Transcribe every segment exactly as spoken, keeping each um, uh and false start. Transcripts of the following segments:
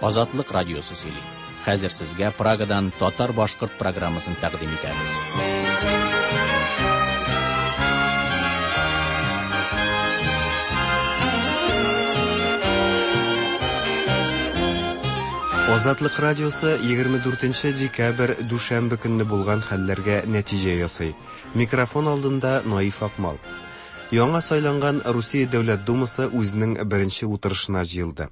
Азатлык радиосы сөйли. Хәзер сезгә Прагадан татар-башкорт программасын тәкъдим итәбез. Азатлык радиосы егерме дүртенче декабрь дүшәмбе көнне булган хәлләргә нәтиҗә ясый. Микрофон алдында Наиф Акмал. Яңа сайланган Русия Дәүләт Думасы үзенең беренче утырышына җыелды.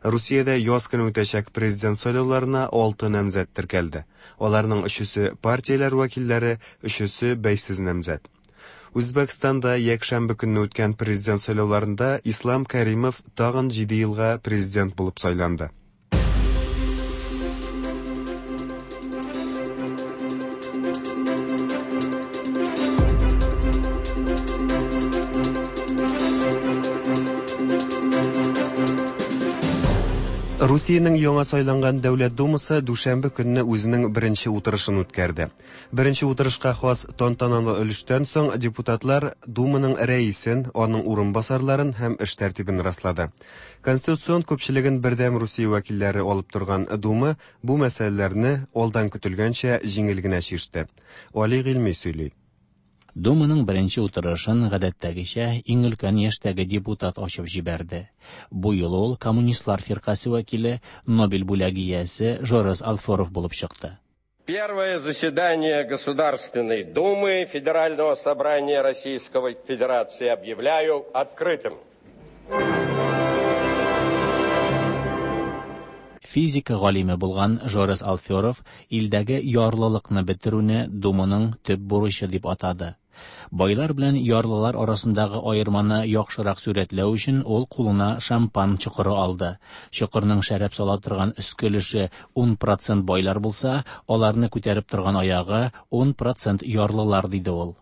Русиядә яз көне үтәчәк президент сайлауларына алты намзәт теркәлде. Аларның өчесе партияләр вәкилләре, өчесе бәйсез намзәт. Үзбәкстанда якшәмбе көнне үткән президент сайлауларында Ислам Каримов тагын җиде елга президент булып сайланды. Русиянең яңа сайланган Дәүләт Думасы дүшәмбе көнне үзенең беренче утырышын үткәрде. Беренче утырышка хас тантаналы өлештән соң депутатлар Думаның рәисен, аның урынбасарларын һәм эш тәртибен раслады. Конституцион күпчелеген Бердәм Русия вәкилләре алып торган Дума бу мәсьәләләрне алдан көтелгәнчә җиңел генә чиште. Али Гыйльми сөйли. Думаның беренче утырышын гадәттәгечә иң өлкән яшьтәге депутат ачып җибәрде. Бу юлы ул Коммунистлар фиркасе вәкиле, Нобель бүләге иясе Жорес Алферов булып чыкты. Первое заседание Государственной Думы Федерального собрания Российской Федерации объявляю открытым. Физика галиме булган Жорес Алферов илдәге ярлылыкны бетерүне Думаның төп бурычы дип атады. Байлар белән ярлылар арасындагы аерманы яхшырак сурәтләү өчен ул кулына шампан чокыры алды. Чокырның шәрәп сала торган өске өлеше ун процент байлар булса, аларны күтәреп торган аягы ун процент ярлылар, диде ул.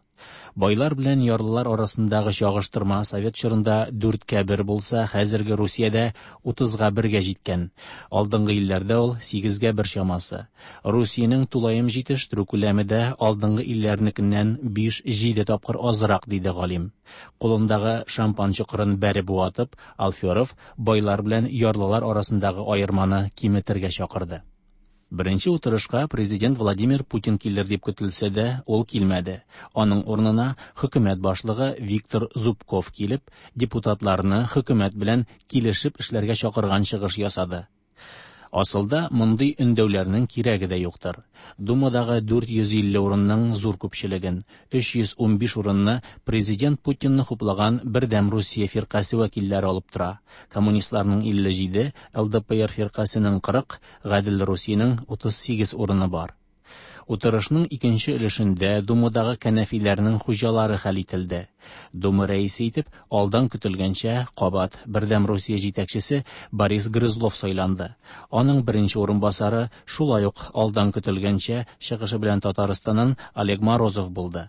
Байлар белән ярлылар арасындагы чагыштырма совет чорында дүрткә бер булса, хәзерге Русиядә утызга бергә җиткән. Алдынгы илләрдә ул сигезгә бер чамасы. Русиянең тулаем җитештерү күләме дә алдынгы илләрнекеннән биш-җиде тапкыр азрак, диде галим. Кулындагы шампан чокырын бәреп ватып, Алферов байлар белән ярлылар арасындагы аерманы киметергә чакырды. Беренче утырышка президент Владимир Путин килер дип көтелсә дә, ул килмәде. Аның урынына хөкүмәт башлыгы Виктор Зубков килеп, депутатларны хөкүмәт белән килешеп эшләргә чакырган чыгыш ясады. Асылда мондый өндәүләрнең кирәге дә юктыр. Думадагы дүрт йөз илле урынның зур күпчелеген, өч йөз унбиш урынны президент Путинны хуплаган Бердәм Русия фиркасе вәкилләре алып тора. Коммунистларның илле җиде, Л Д П Р фиркасенең кырык, Гадел Русиянең утыз сигез урыны бар. Утырышның икенче өлешендә Думадагы кәнәфиләрнең хуҗалары хәл ителде. Дума рәисе итеп алдан көтелгәнчә кабат Бердәм Русия җитәкчесе Борис Грызлов сайланды. Аның беренче урынбасары шулай ук алдан көтелгәнчә чыгышы белән Татарстаннан Олег Морозов булды.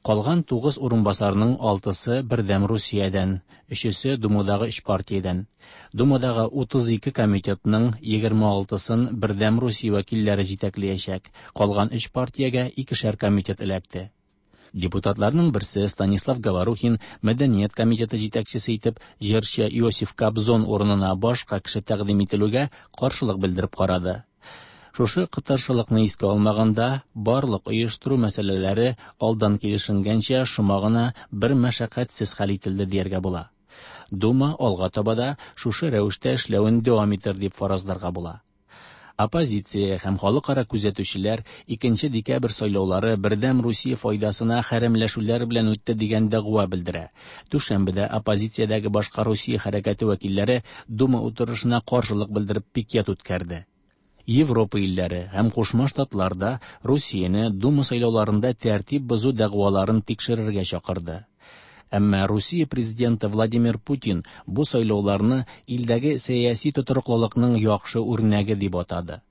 Калган тугыз урынбасарның алтысы Бердәм Русиядән, өчесе Думадагы өч партиядән. Думадагы утыз ике комитетның егерме алтысын Бердәм Русия вәкилләре җитәкләячәк. Калган өч партиягә икешәр комитет эләкте. Депутатларның берсе Станислав Говорухин Мәдәният комитеты җитәкчесе итеп җырчы Иосиф Кобзон урынына башка кеше тәкъдим ителүгә каршылык белдереп карады. Шушы кытыршылыкны искә алмаганда, барлык оештыру мәсьәләләре алдан килешенгәнчә шома гына бер мәшәкатьсез хәл ителде дияргә була. Дума алга таба да шушы рәвештә эшләвен дәвам итер дип фаразларга була. Оппозиция һәм халыкара күзәтүчеләр икенче декабрь сайлаулары Бердәм Русия файдасына хәрәмләшүләр белән үтте дигән дәгъва белдерә. Дүшәмбедә оппозициядәге башка Русия хәрәкәте вәкилләре Дума утырышына каршылык белдереп пикет үткәрде. Европа илләре һәм Кушма Штатларда Русияне Дума сайлауларында тәртип бозу дәгъваларын тикшерергә чакырды. Әмма Русия президенты Владимир Путин бу сайлауларны илдәге сәяси тотрыклылыкның яхшы үрнәге дип атады.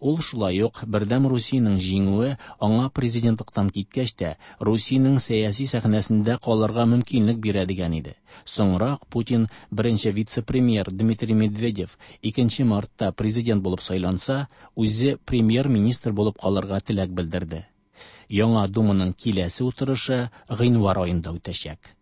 Ул шулай ук Бердәм Русиянең җиңүе аңа президентлыктан киткәч тә Русиянең сәяси сәхнәсендә калырга мөмкинлек бирә дигән иде. Соңрак Путин беренче вице-премьер Дмитрий Медведев икенче мартта президент булып сайланса, үзе премьер-министр булып калырга теләк белдерде. Яңа Думаның киләсе утырышы гыйнвар аенда үтәчәк.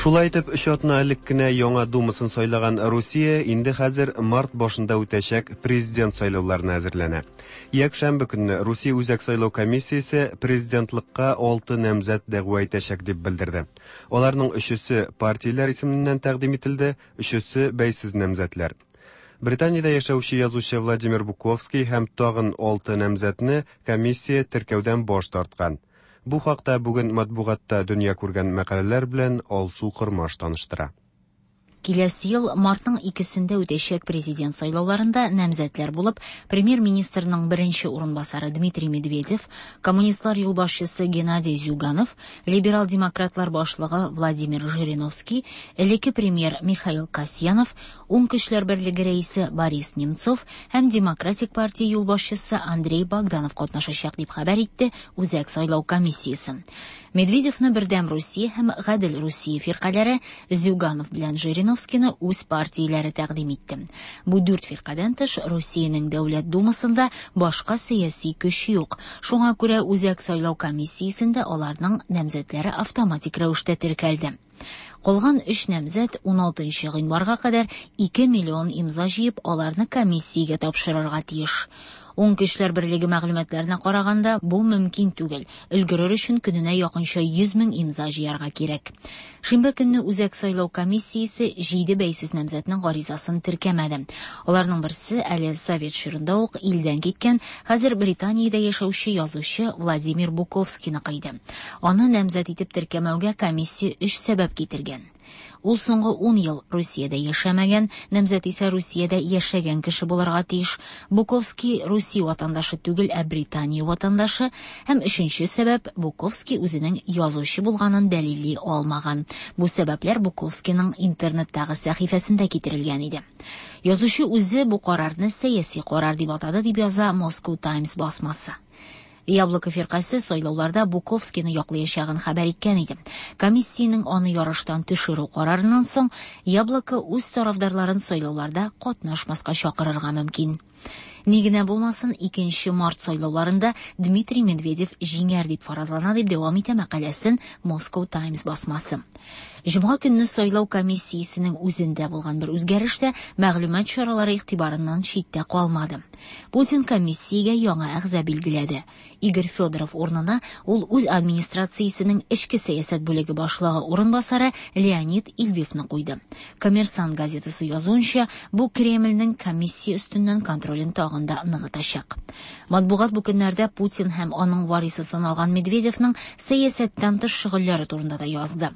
Шулай итеп, өч атна элек кенә яңа Думасын сайлаган Русия инде хәзер март башында үтәчәк президент сайлауларына әзерләнә. Якшәмбе көнне Русия Үзәк сайлау комиссиясе президентлыкка алты намзәт дәгъва итәчәк дип белдерде. Аларның өчесе партияләр исеменнән тәкъдим ителде, өчесе бәйсез намзәтләр. Британиядә яшәүче язучы Владимир Буковский һәм тагын алты намзәтне комиссия теркәүдән баш тарткан. Бу хакта бүген матбугатта дөнья күргән мәкаләләр белән Алсу Кормаш таныштыра. Киләсе ел мартның икесендә үтәчәк президент сайлауларында намзәтләр булып премьер-министрның беренче урынбасары Дмитрий Медведев, коммунистлар юлбашчысы Геннадий Зюганов, либерал-демократлар башлыгы Владимир Жириновский, элекке премьер Михаил Касьянов, Уң көчләр берлеге рәисе Борис Немцов һәм Демократик партия юлбашчысы Андрей Богданов катнашачак дип хәбәр итте Үзәк сайлау комиссиясе. Медведевны Бердәм Русия һәм Гадел Русия фиркаләре, Зюганов белән Жириновскийны үз партияләре тәкъдим итте. Бу дүрт фиркадән тыш Русиянең Дәүләт Думасында башка сәяси көч юк. Шуңа күрә Үзәк сайлау комиссиясендә аларның намзәтләре автоматик рәвештә теркәлде. Калган өч намзәт ун алтынчы гыйнварга кадәр ике миллион имза җыеп, аларны комиссиягә тапшырырга тиеш. Уң көчләр берлеге мәгълүматларына караганда, бу мөмкин түгел. Өлгерер өчен көненә якынча йөз мең имза җыярга кирәк. Шимбә көнне Үзәк сайлау комиссиясе җиде бәйсез намзәтнең гаризасын теркәмәде. Аларның берсе әле совет чорында ук илдән киткән, хәзер Британиядә яшәүче язучы Владимир Буковскийны кыйды. Аны намзәт итеп теркәмәүгә комиссия өч сәбәп китергән. Ул соңгы ун ел Русиядә яшәмәгән, намзәт исә Русиядә яшәгән кеше булырга тиеш. Буковский Русия ватандашы түгел, ә Британия ватандашы. Һәм өченче сәбәп, Буковский үзенең язучы булганын дәлилли алмаган. Бу сәбәпләр Буковскийның интернеттагы сәхифәсендә китерелгән иде. Язучы үзе бу карарны сәяси карар дип атады, дип яза Moscow Times басмасы. Яблоко фиркасе сайлауларда Буковскийны яклаячагын хәбәр иткән иде. Комиссиянең аны ярыштан төшерү карарыннан соң Яблоко үз тарафдарларын сайлауларда катнашмаска чакырырга мөмкин. Ни генә булмасын, икенче март сайлауларында Дмитрий Медведев җиңәр дип фаразлана, дип дәвам итә мәкаләсен Moscow Times басмасы. Җомга көнне сайлау комиссиясенең үзендә булган бер үзгәреш тә мәгълүмат чаралары игътибарыннан читтә калмады. Путин комиссиягә яңа әгъза билгеләде. Игорь Федоров урынына ул үз администрациясенең эчке сәясәт бүлеге башлыгы урынбасары Леонид Ильвивны куйды. Коммерсант газетасы язуынча, бу Кремльнең комиссия өстеннән контролен тагын да ныгытачак. Матбугат бу көннәрдә Путин һәм аның варисы саналган Медведевның сәясәттән тыш шөгыльләре турында да язды.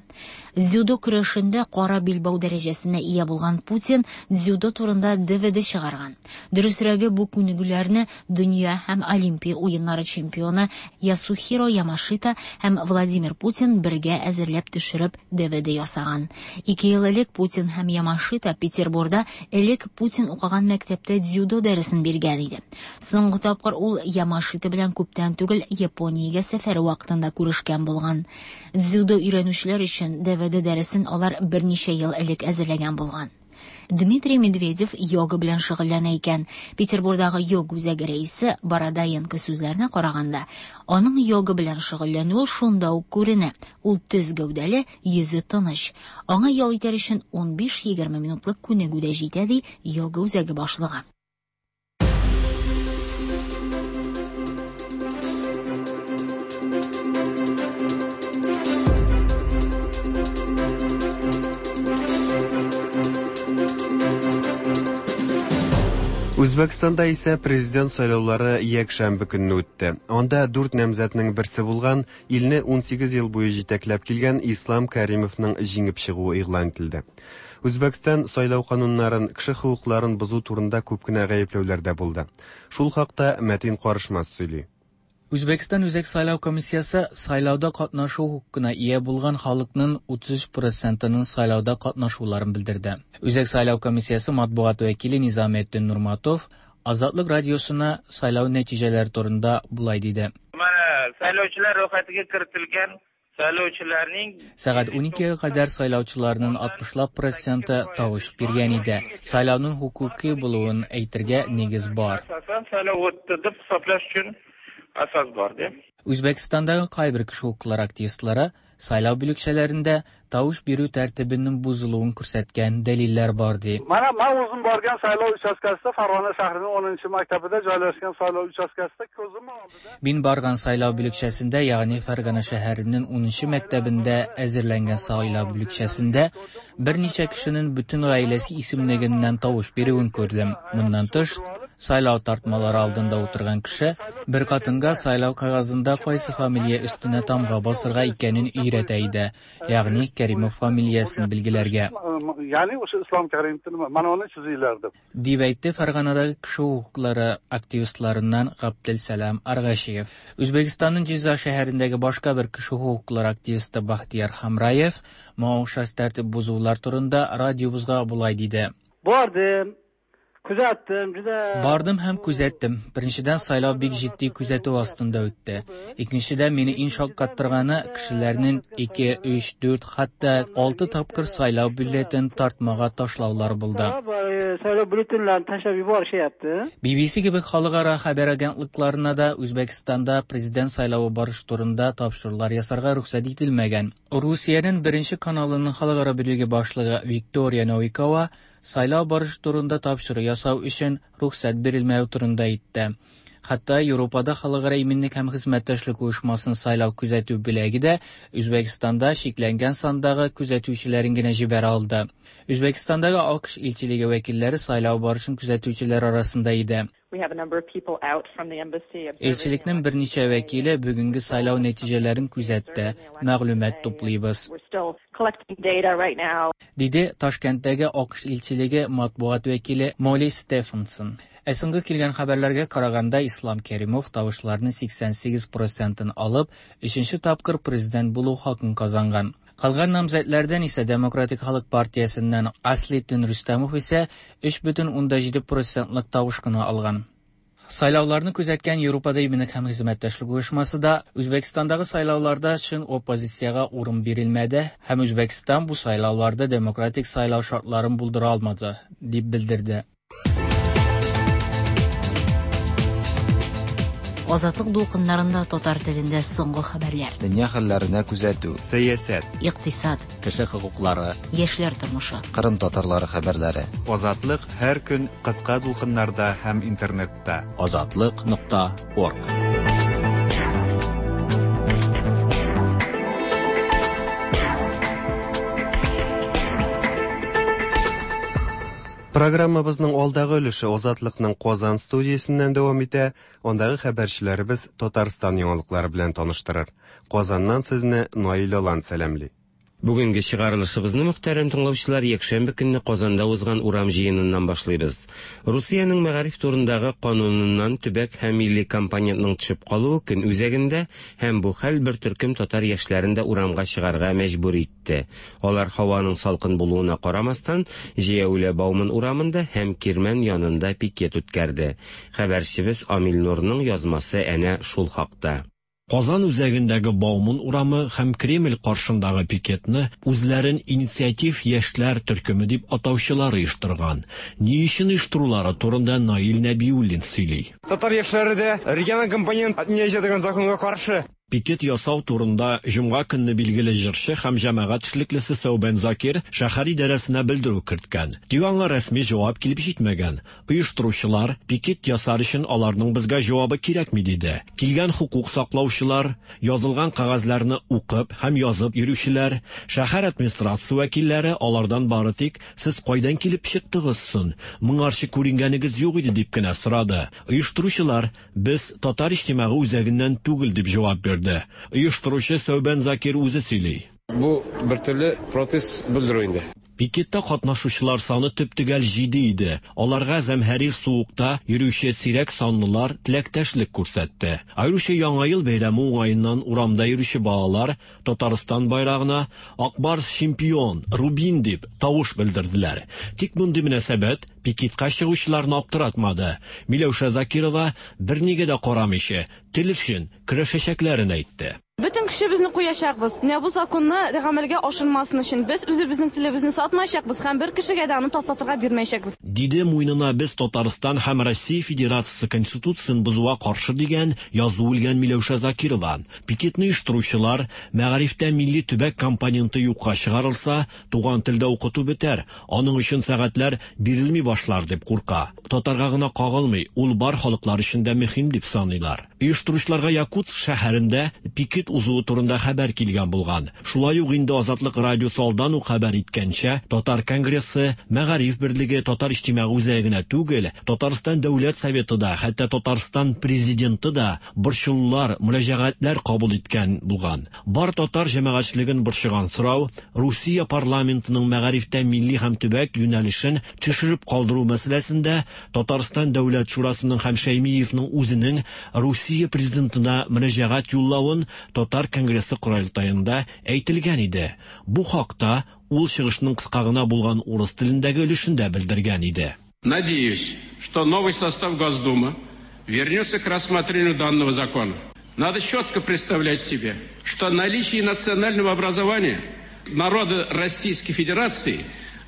Дзюдо көрәшендә кара билбау дәрәҗәсенә ия булган Путин дзюдо турында Д В Д чыгарган. Дөресрәге, бу күнегүләрне дөнья һәм Олимпия уеннары чемпионы Ясухиро Ямашита һәм Владимир Путин бергә әзерләп төшереп Д В Д ясаган. Ике ел элек Путин һәм Ямашита Петербурда элек Путин укыган мәктәптә дзюдо дәресен биргән иде. Соңгы тапкыр ул Ямашита белән күптән түгел Япониягә сәфәре вакытында күрешкән булган. Дзюдо өйрәнүчеләр өчен Д В Д дәресен алар берничә ел элек әзерләгән булган. Дмитрий Медведев йога белән шөгыльләнә икән. Петербурдагы йога үзәге рәисе Бородоенко сүзләренә караганда, аның йога белән шөгыльләнүе шунда ук күренә. Ул төз гәүдәле, йөзе тыныч. Аңа ял итәр өчен ун биш-егерме минутлык күнегү дә җитә, ди йога үзәге башлыгы. Үзбәкстанда исә президент сайлаулары якшәмбе көнне үтте. Анда дүрт намзәтнең берсе булган, илне ун сигез ел буе җитәкләп килгән Ислам Каримовның җиңеп чыгуы игълан ителде. Үзбәкстан сайлау кануннарын, кеше хокукларын бозу турында күп кенә гаепләүләр дә булды. Шул хакта Мәтин Карышмас сөйли. Үзбәкстан Үзәк сайлау комиссиясе сайлауда катнашу хокукына ия булган халыкның утыз өч процентының сайлауда катнашуларын белдерде. Үзәк сайлау комиссиясе матбугат вәкиле Низаметдин Нурматов Азатлык радиосына сайлау нәтиҗәләре турында булай диде. Mana saylovchilar ro'yxatiga kiritilgan saylovchilarning Сәгать уникегә кадәр сайлаучыларның алтмышлап проценты тавыш биргән иде. Сайлауның хукуки булуын әйтергә нигез бар. Asosan saylov o'tdi deb hisoblash uchun asos bor, deb. Үзбәкстандагы кайбер кеше хокуклары активистлары Сайлау бүлекчәләрендә тавыш бирү тәртибенең бозылуын күрсәткән дәлилләр бар ди. Mana men o'zim borgan saylov uchastkasida Farg'ona shahrining o'ninchi maktabida joylashgan saylov uchastkasida ko'zim oldida Мин барган сайлау бүлекчәсендә, ягъни Фәргана шәһәренең унынчы мәктәбендә әзерләнгән сайлау бүлекчәсендә берничә кешенең бөтен гаиләсе исемлегеннән тавыш бирүен күрдем. Моннан тыш, сайлау тартмалары алдында утырган кеше бер хатынга сайлау кәгазендә кайсы фамилия өстенә тамга басырга икәнен өйрәтә иде, ягъни Каримов фамилиясен билгеләргә. Ya'ni o'sha Islom Karimovning mana uni chizinglar deb. Дип әйтте Фәрганадагы кеше хокуклары активистларыннан Габделсәлам Аргашиев. Үзбәкстанның Җиза шәһәрендәге башка бер кеше хокуклары активисты Бахтияр Хамраев моңа охшаш тәртип бозулар турында радиобызга болай диде. Бардым, күзәттем, juda Бардым һәм күзәттем. Беренчедән, сайлау бик җитди күзәтү астында үтте. Икенчедән, мине иң шаккаттырганы кешеләрнең ике, өч, дүрт, хәтта алты тапкыр сайлау бюллетен тартмага ташлаулары булды. Saylov byulletenlarini tashlab yuborishyapti. би би си кебек халыкара хәбәр агентлыкларына да Үзбәкстанда президент сайлавы барышы турында тапшырулар ясарга рөхсәт ителмәгән. Русиянең беренче каналының халыкара бүлеге башлыгы Виктория Новикова сайлау барышы турында тапшыру ясау өчен рөхсәт бирелмәү турында әйтте. Хәтта Европада халыкара иминлек һәм хезмәттәшлек оешмасын сайлау күзәтү бүлеге дә Үзбәкстанда чикләнгән сандагы күзәтүчеләрен генә җибәрә алды. Үзбәкстандагы АКШ илчелеге вәкилләре сайлау барышын күзәтүчеләр арасында иде. We have a number of people out from the embassy observing Илчелекнең берничә вәкиле бүгенге сайлау нәтиҗәләрен күзәтте. Мәгълүмат туплыйбыз. We're still collecting data right now. Диде Ташкенттәге АКШ илчелеге матбугат вәкиле Молли Стефенсон. Ә соңгы килгән хәбәрләргә караганда, Ислам Каримов тавышларның сиксән сигез процентын алып, өченче тапкыр президент булу хакын казанган. Калган намзәтләрдән исә Демократик Халык партиясеннән Аслетдин Рустамов исә өч бөтен унда җиде процентлык тавыш кына алган. Сайлауларны күзәткән Европада иминлек һәм хезмәттәшлек оешмасы да Үзбәкстандагы сайлауларда чын оппозициягә урын бирелмәде һәм Үзбәкстан бу сайлауларда демократик сайлау шартларын булдыра алмады, дип белдерде. Азатлык дулкыннарында татар телендә соңгы хәбәрләр. Дөнья хәлләренә күзәтү, сәясәт, икътисад, кеше хокуклары, яшьләр тормышы, Кырым татарлары хәбәрләре. Азатлык һәр көн кыска дулкыннарда һәм интернетта. Азатлык нокта орг. Программабызның алдагы өлеше Азатлыкның Казан студиясеннән дәвам итә. Андагы хәбәрчеләребез Татарстан яңалыклары белән таныштырыр. Казаннан сезне Наил Алан сәламли. Бүгенге чыгарылышыбызны, мөхтәрәм тыңлаучылар, якшәмбе көнне Казанда узган урам җыеныннан башлыйбыз. Русиянең мәгариф турындагы кануныннан төбәк һәм милли компонентның төшеп калуы көн үзәгендә һәм бу хәл бер төркем татар яшьләрен дә урамга чыгарга мәҗбүр итте. Алар һаваның салкын булуына карамастан, җәяүле Бауман урамында һәм Кирмән янында пикет үткәрде. Хәбәрчебез Амил Нурның язмасы әнә шул хакта. Казан үзәгендәге Бауман урамы һәм Кремль каршындагы пикетны үзләрен инициатив яшьләр төркеме дип атаучылар оештырган. Ни өчен оештырулары турында Наил Нәбиуллин сөйли. Татар яшьләре дә региональ компонент отменяется дигән законга каршы. Пикет ясау турында җомга көнне билгеле җырчы һәм җәмәгать эшлеклесе Сәүбән Закир шәһәр идарәсенә белдерү керткән. Тик аңа рәсми җавап килеп җитмәгән. Оештыручылар пикет ясар өчен аларның безгә җавабы кирәкми диде. Килгән хукук саклаучылар, язылган кәгазьләрне укып һәм язып йөрүчеләр, шәһәр администрациясе вәкилләре алардан бары тик сез кайдан килеп чыктыгыз соң? Моңарчы күренгәнегез юк иде дип кенә сорады. Оештыручылар без татар иҗтимагый үзәгеннән түгел дип җавап бирде. Оештыручы Сәүбән Закир үзе сөйли. Бу бер төрле протест белдерү инде. Пикетта катнашучылар саны төп-төгәл җиде иде. Аларга зәмһәрир суыкта йөрүче сирәк санлылар теләктәшлек күрсәтте. Аеруча Яңа ел бәйрәме уңаеннан урамда йөрүче балалар Татарстан байрагына Акбарс чемпион, Рубин дип тавыш белдерделәр. Тик мондый мөнәсәбәт пикетка чыгучыларны аптыратмады. Миләүшә Закирова бернигә дә карамыйча тел өчен көрәшәчәкләрен әйтте. Бөтен көчебезне куячакбыз. Менә бу законны гамәлгә ашырмасын өчен без үзебезнең телебезне сатмаячакбыз һәм бер кешегә дә аны таптатырга бирмәячәкбез. Диде муенына без Татарстан һәм Россия Федерациясе Конституциясен бозуга каршы дигән язу элгән Миләүшә Закирова. Пикетны оештыручылар мәгарифтә милли төбәк компоненты юкка чыгарылса, туган телдә укыту бетәр, аның өчен сәгатьләр бирелми башлар дип курка. Татарга гына кагылмый, ул бар халыклар өчен дә мөһим дип саныйлар. Оештыручыларга Якутск шәһәрендә пикет узуы турында хәбәр килгән булган. Шулай ук инде Азатлык радиосы алдан ук хәбәр иткәнчә, Татар конгрессы, Мәгариф берлеге, Татар иҗтимагый үзәге генә түгел, Татарстан Дәүләт Советы да, хәтта Татарстан президенты да борчылулар, мөрәҗәгатьләр кабул иткән булган. Бар татар җәмәгатьчелеген борчыган сорау Русия парламентының мәгарифтә милли һәм төбәк юнәлешен төшереп калдыру мәсьәләсендә Татарстан Дәүләт Шурасының һәм Шәймиевның үзенең Русия президентына мөрәҗәгать юллавын Татар конгрессы корылтаенда әйтелгән иде. Бу хакта ул чыгышның кыска гына булган урыс телендәге өлешендә белдергән иде. Надеюсь, что новый состав Госдумы вернется к рассмотрению данного закона. Надо четко представлять себе, что наличие национального образования народа Российской Федерации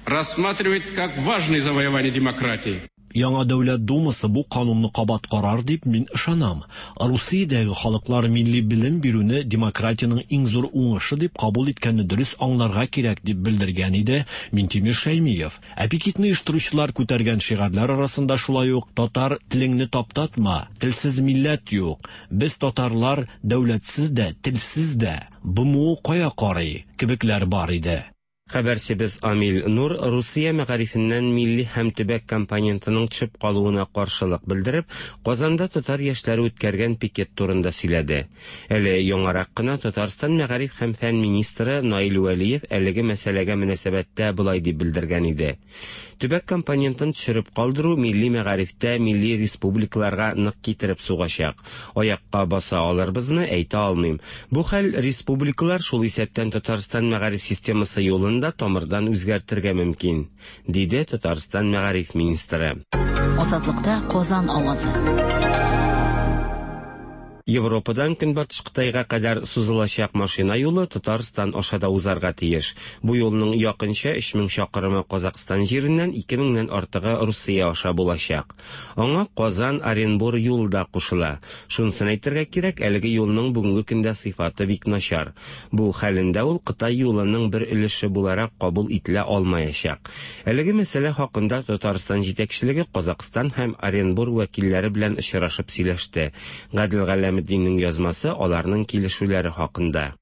рассматривает как важное завоевание демократии. Яңа Дәүләт Думасы бу канунны кабат карар дип мин ышанам. Русиядәге халыклар милли белем бирүне демократиянең иң зур уңышы дип кабул иткәнне дөрес аңларга кирәк дип белдергән иде Минтимер Шәймиев. Ә пикетны оештыручылар күтәргән шигарьләр арасында шулай ук татар телеңне таптатма, телсез милләт юк, без татарлар дәүләтсез дә, телсез дә, БМО кая карый кебекләр бар иде. Хәбәрчебез Амил Нур Русия мәгарифеннән милли һәм төбәк компонентының төшеп калуына каршылык белдереп, Казанда татар яшьләре үткәргән пикет турында сөйләде. Әле яңарак кына Татарстан мәгариф һәм фән министры Наил Вәлиев әлеге мәсьәләгә мөнәсәбәттә болай дип белдергән иде. Төбәк компонентын төшереп калдыру милли мәгарифтә милли республикаларга нык китереп сугачак. Аякка баса алырбызмы, әйтә алмыйм. Бу хәл республикалар, шул исәптән Татарстан мәгариф системасы юлын да тамырдан үзгәртергә мөмкин, диде Татарстан мәгариф министры. Азатлыкта Казан авазы. Европадан Көнбатыш Кытайга кадәр сузылачак машина юлы Татарстан аша да узарга тиеш. Бу юлның якынча өч мең чакрымы Казакъстан җиреннән, ике меңнән артыгы Русия аша булачак. Аңа Казан Оренбур юлы да кушыла. Шунысын әйтергә кирәк, әлеге юлның бүгенге көндә сыйфаты бик начар. Бу хәлендә ул Кытай юлының бер өлеше буларак кабул ителә алмаячак. Әлеге мәсьәлә хакында Татарстан җитәкчелеге Казакъстан һәм Оренбур вәкилләре белән очрашып сөйләште. Гадел Галәметдиннең язмасы аларның килешүләре хакында.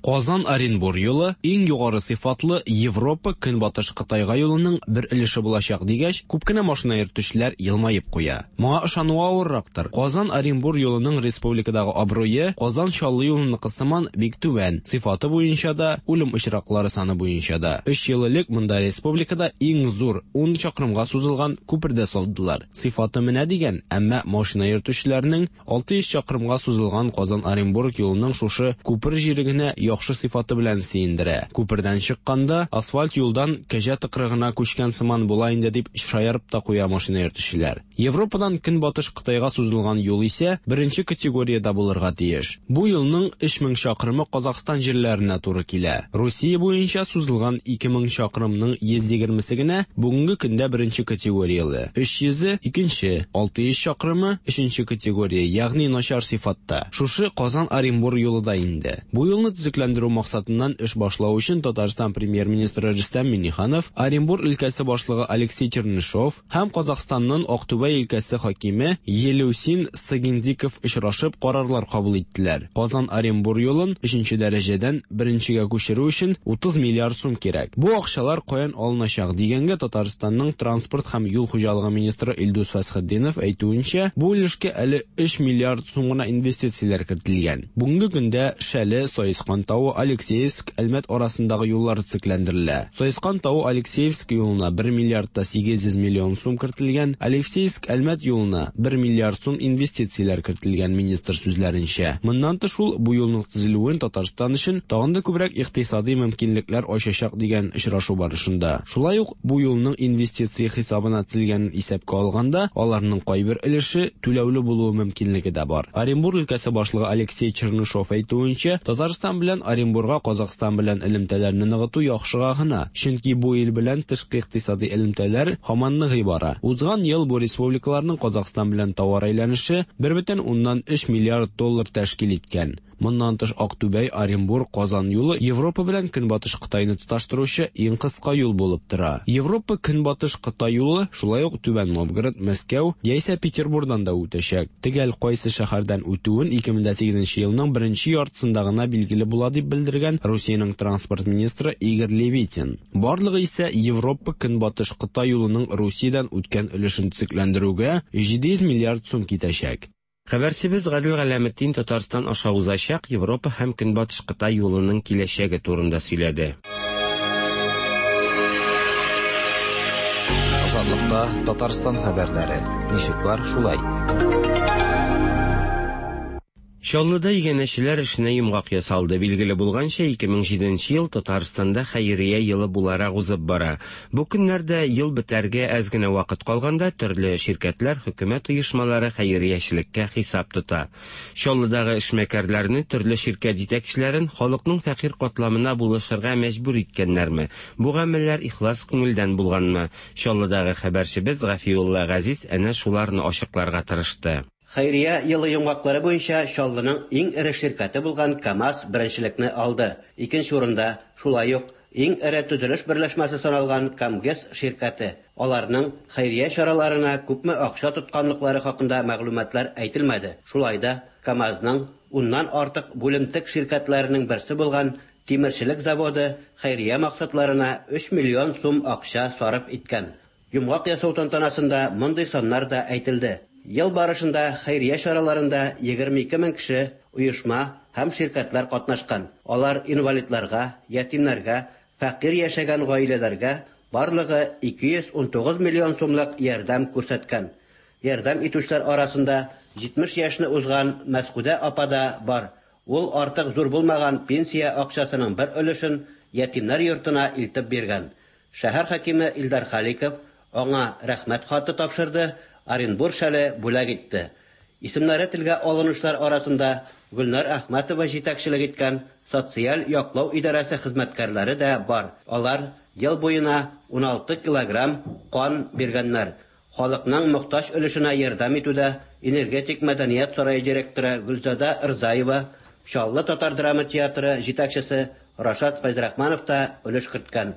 Казан-Оренбур юлы иң югары сыйфатлы Европа Көнбатыш Кытайга юлының бер өлеше булачак дигәч, күп кенә машина йөртүчеләр елмаеп куя. Моңа ышану авыррактыр. Казан-Оренбур юлының республикадагы абруе Казан-Чаллы юлыныкы сыман бик түбән, сыйфаты буенча да, үлем очраклары саны буенча да. Өч ел элек монда республикада иң зур ун чакрымга сузылган күпер дә салдылар. Сыйфаты менә дигән, әмма машина йөртүчеләрнең алты йөз чакрымга сузылган Казан-Оренбург юлының шушы күпер җире генә яхшы сыйфаты белән сөендерә. Күпердән чыкканда асфальт юлдан кәҗә тыкрыгына күчкән сыман була инде дип шаярып та куя машина йөртүчеләр. Европадан Көнбатыш Кытайга сузылган юл исә беренче категориядә булырга тиеш. Бу юлның өч мең чакрымы Казакъстан җирләренә туры килә. Русия буенча сузылган ике мең чакрымның йөз егермесе генә бүгенге көндә беренче категорияле, өч йөзе икенче, алты йөз чакрымы өченче категория, ягъни начар сыйфатта. Шушы Казан-Оренбур юлы да инде. Бу юлны төзекләндерү максатыннан эш башлау өчен Татарстан премьер-министры Рөстәм Миңнеханов, Оренбур өлкәсе башлыгы Алексей Чернышов һәм Казакъстанның Актүбә өлкәсе хакиме Елеусин Сагиндиков очрашып карарлар кабул иттеләр. Казан-Оренбур юлын өченче дәрәҗәдән беренчегә күчерү өчен утыз миллиард сум кирәк. Бу акчалар каян алыначак дигәнгә Татарстанның транспорт һәм юл хуҗалыгы министры Илдус Фәсхетдинов әйтүенчә, бу өлешкә әле өч миллиард сум гына инвестицияләр кертелгән. Бүгенге көндә Шәле, Саескан тавы Алексеевск, Әлмәт арасындагы юллар төзекләндерелә. Саескан тавы Алексеевск юлына бер миллиард та сигез йөз миллион сум кертелгән, Алексеевск Әлмәт юлына бер миллиард сум инвестицияләр кертелгән, министр сүзләренчә. Моннан тыш ул бу юлның төзелүен Татарстан өчен тагын да күбрәк икътисади мөмкинлекләр ачачак дигән очрашу барышында. Шулай ук бу юлның инвестиция хисабына төзелгәнен исәпкә алганда, аларның кайбер өлеше түләүле булуы мөмкинлеге дә бар. Оренбур өлкәсе башлыгы Алексей Чернышов әйтүенчә, Татарстан белән Оренбурга Казахстан белән элемтәләрне ныгыту яхшыга гына, чөнки бу ил белән тышкы икътисади элемтәләр һаман ныгый бара. Узган ел бу республикаларның Казахстан белән товар әйләнеше бер бөтен уннан өч миллиард доллар тәшкил иткән. Моннан тыш Актүбәй, Оренбур, Казан юлы Европа белән Көнбатыш Кытайны тоташтыручы иң кыска юл булып тора. Европа Көнбатыш Кытай юлы шулай ук Түбән Новгород, Мәскәү яисә Петербургдан да үтәчәк. Төгәл кайсы шәһәрдән үтүен ике мең сигезенче елның беренче яртысында гына билгеле була дип белдергән Русиянең транспорт министры Игорь Левитин. Барлыгы исә Европа Көнбатыш Кытай юлының Русиядән үткән өлешен төзекләндерүгә җиде йөз миллиард сум китәчәк. Хәбәрчебез Гадел Галәметдин Татарстан аша узачак Европа һәм Көнбатыш Кытай юлының киләчәге турында сөйләде. Азатлыкта Татарстан хәбәрләре. Ничек бар, шулай. Чаллыда иганәчеләр эшенә йомгак ясалды. Билгеле булганча, ике мең җиденче ел Татарстанда хәйрия елы буларак узып бара. Бу көннәрдә ел бетәргә әз генә вакыт калганда төрле ширкәтләр, хөкүмәт оешмалары хәйриячелеккә хисап тота. Чаллыдагы эшмәкәрләрне, төрле ширкәт җитәкчеләрен халыкның фәкыйрь катламына булышырга мәҗбүр иткәннәрме? Бу гамәлләр ихлас күңелдән булганмы? Чаллыдагы хәбәрчебез Гафиулла Газиз әнә шуларны ачыкларга тырышты. Хәйрия елы йомгаклары буенча Чаллының иң эре ширкәте булган КАМАЗ беренчелекне алды. Икенче урында шулай ук иң эре төзелеш берләшмәсе саналган КАМГЭС ширкәте. Аларның хәйрия чараларына күпме акча тотканлыклары хакында мәгълүматлар әйтелмәде. Шулай да КАМАЗның уннан артык бүлемтек ширкәтләренең берсе булган Тимерчелек заводы хәйрия максатларына өч миллион сум акча сарыф иткән. Йомгак ясау тантанасында мондый саннар да әйтелде. Ел барышында хәйрия чараларында егерме ике мең кеше, оешма һәм ширкәтләр катнашкан. Алар инвалидларга, ятимнәргә, фәкыйрь яшәгән гаиләләргә барлыгы ике йөз ун тугыз миллион сумлык ярдәм күрсәткән. Ярдәм итүчеләр арасында җитмеш яшьне узган Мәскүдә апа да бар. Ул артык зур булмаган пенсия акчасының бер өлешен ятимнәр йортына илтеп биргән. Шәһәр хакиме Илдар Халиков аңа рәхмәт хаты тапшырды, Оренбур шәле бүләк итте. Исемнәре телгә алынучылар арасында Гөлнар Әхмәтова җитәкчелек иткән социаль яклау идарәсе хезмәткәрләре дә бар. Алар ел буена ун алты килограмм кан биргәннәр. Халыкның мохтаҗ өлешенә ярдәм итүдә Энергетик мәдәният сарае директоры Гөлзада Рзаева, Чаллы татар драма театры җитәкчесе Рашат Фәйзрахманов та өлеш керткән.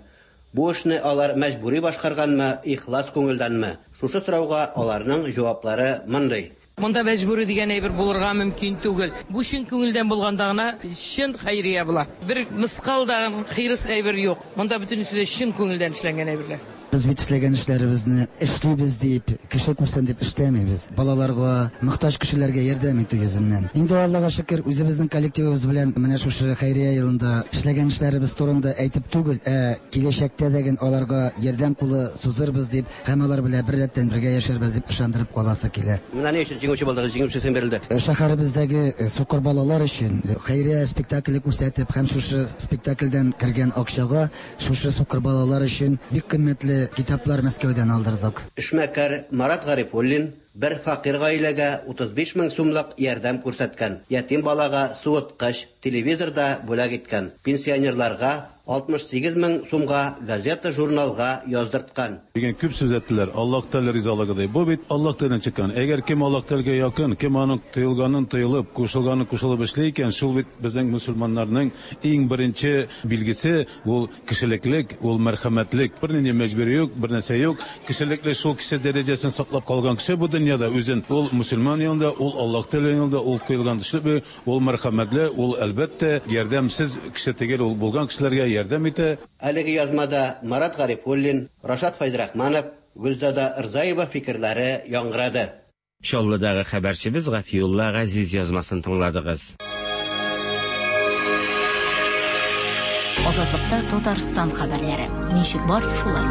Бу эшне алар мәҗбүри башкарганмы, ихлас күңелдәнме? Шушы сорауга аларның җаваплары мондый. Монда мәҗбүри дигән әйбер булырга мөмкин түгел. Бу чын күңелдән булганда гына чын хәйрия була. Бер мыскал да хирыс әйбер юк. Монда бөтенесе дә чын күңелдән эшләнгән әйберләр. Без бит эшләгән эшләребезне эшлибез дип, кеше күрсен дип эшләмибез. Балаларга, мохтаҗ кешеләргә ярдәм итү йөзеннән. Инде Аллага шөкер, үзебезнең коллективыбыз белән менә шушы хәйрия елында эшләгән эшләребез турында әйтеп түгел, ә киләчәктә дә аларга ярдәм кулы сузырбыз дип, һәм алар белән бер рәттән бергә яшәрбез дип ышандырып каласы килә. Менә ни өчен җиңүче булдыгыз? Җиңүче исеме бирелде. Шәһәребездәге сукыр балалар өчен хәйрия спектакле күрсәтеп һәм шушы спектакльдән кергән акчага шушы сукыр балалар өчен бик кыйммәтле китаплар Мәскәүдән алдырдык. Эшмәкәр Марат Гарифуллин бер фәкыйрь гаиләгә утыз биш мең сумлык ярдәм күрсәткән. Ятим балага суыткыч, телевизор да бүләк иткән. Пенсионерларга алтмыш сигез мең сумга газета, журналга яздырткан. Дигән күп сүз әйттеләр. Аллаһ Тәгалә ризалыгы ди. Бу бит Аллаһ Тәгаләдән чыккан. Әгәр кем Аллаһ Тәгаләгә якын, кем аның тыелганын тыелып, кушылганын кушылып эшли икән, шул бит безнең мөселманнарның иң беренче билгесе ул кешелеклек, ул мәрхәмәтлек. Бернинди мәҗбүри юк, бер нәрсә юк. Кешелекле шул кеше дәрәҗәсен саклап калган кеше бу дөньяда үзен ул мөселман юлында, ул Аллаһ Тәгалә юлында, ул куелган эшле, ул мәрхәмәтле, ул әлбәттә ярдәмсез кеше түгел, ул булган кешеләргә ярдәм итә. Әлеге язмада Марат Гарифуллин, Рашат Фәйзрахманов, Гөлзада Рзаева фикерләре яңгырады. Чаллыдагы хәбәрчебез Гафиулла Газиз язмасын тыңладыгыз. Азатлыкта Татарстан хәбәрләре. Ничек бар, шулай.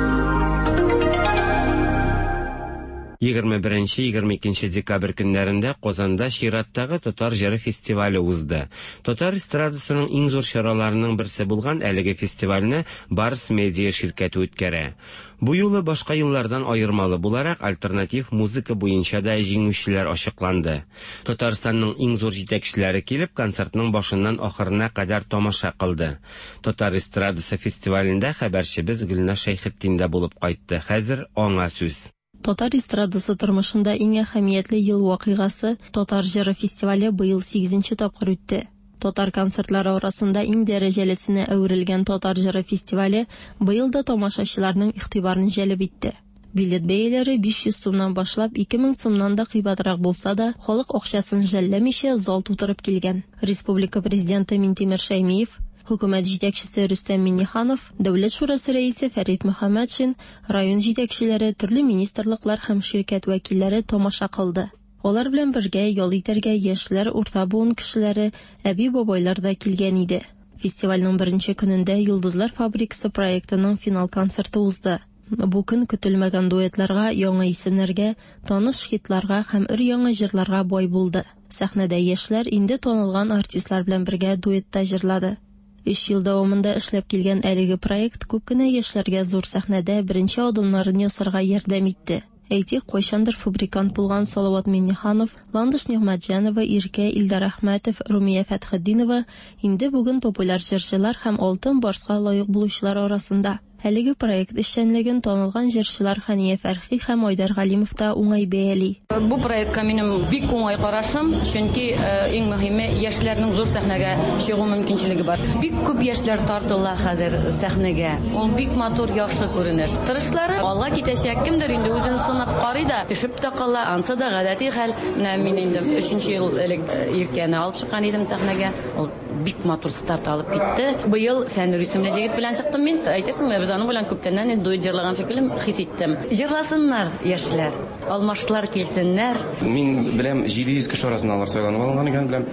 егерме беренче егерме икенче декабрь көннәрендә Казанда чираттагы Татар җыры фестивале узды. Татар эстрадасының иң зур чараларының берсе булган әлеге фестивальне Барс Медиа ширкәте үткәрә. Бу юлы башка еллардан аермалы буларак альтернатив музыка буенча да җиңүчеләр ачыкланды. Татарстанның иң зур җитәкчеләре килеп концертның башыннан ахырына кадәр тамаша кылды. Татар эстрадасы фестивалендә хәбәрчебез Гөлназ Шәйхетдин дә булып кайтты. Хәзер аңа сүз. Татар эстрадасы тормышында иң әһәмиятле ел вакыйгасы Татар җыры фестивале быел сигезенче тапкыр үтте. Татар концертлары арасында иң дәрәҗәлесенә әверелгән Татар җыры фестивале быел да тамашачыларның игътибарын җәлеп итте. Билет бәяләре биш йөз сумнан башлап ике мең сумнан да кыйбатрак булса да, халык акчасын жәлләмичә зал тутырып килгән. Республика президенты Минтимер Шәймиев, хөкүмәт җитәкчесе Рөстәм Миңнеханов, Дәүләт шурасы рәисе Фәрит Мөхәммәтшин, район җитәкчеләре, төрле министрлыклар һәм ширкәт вәкилләре тамаша кылды. Алар белән бергә ял итәргә яшьләр, урта буын кешеләре, әби-бабайлар да килгән иде. Фестивальнең беренче көнендә Йолдызлар фабрикасы проектының финал концерты узды. Бу көн көтелмәгән дуэтларга, яңа исемнәргә, таныш хитларга һәм өр-яңа җырларга бай булды. Сәхнәдә яшьләр инде танылган артистлар белән бергә дуэтта җырлады. Өч ел дәвамында эшләп килгән әлеге проект күп кенә яшьләргә зур сәхнәдә беренче адымнарын ясарга ярдәм итте. Әйтик, кайчандыр фабрикант булган Салават Миңнеханов, Ландыш Нигъмәтҗанова, Иркә, Илдар Әхмәтов, Румия Фәтхетдинова инде бүген популяр җырчылар һәм Алтын Барска лаек булучылар арасында. Әлеге проект эшчәнлеген танылган җырчылар Хәния Фәрхи һәм Айдар Галимов та уңай бәяли. Бу проектка минем бик уңай карашым, чөнки иң мөһиме яшьләрнең зур сәхнәгә чыгу мөмкинчелеге бар. Бик күп яшьләр тартыла хәзер сәхнәгә. Ул бик матур, яхшы күренеш. Тырышлары алга китәчәк, кемдер инде үзен сынап карый да, төшеп тә кала, ансы да гадәти хәл. Менә мин инде өченче ел элек Иркәне алып чыккан идем сәхнәгә. Ул бик матур старт алып китте. Быел Фәнүр исемле җегет белән чыктым мин. Әйтерсең, без аның белән күптәннән инде дуэт җырлаган шикелле хис иттем. Җырласыннар яшьләр, алмашлар килсеннәр. Мин беләм, җиде йөз кеше арасында алар сайланып алынган икән, беләм.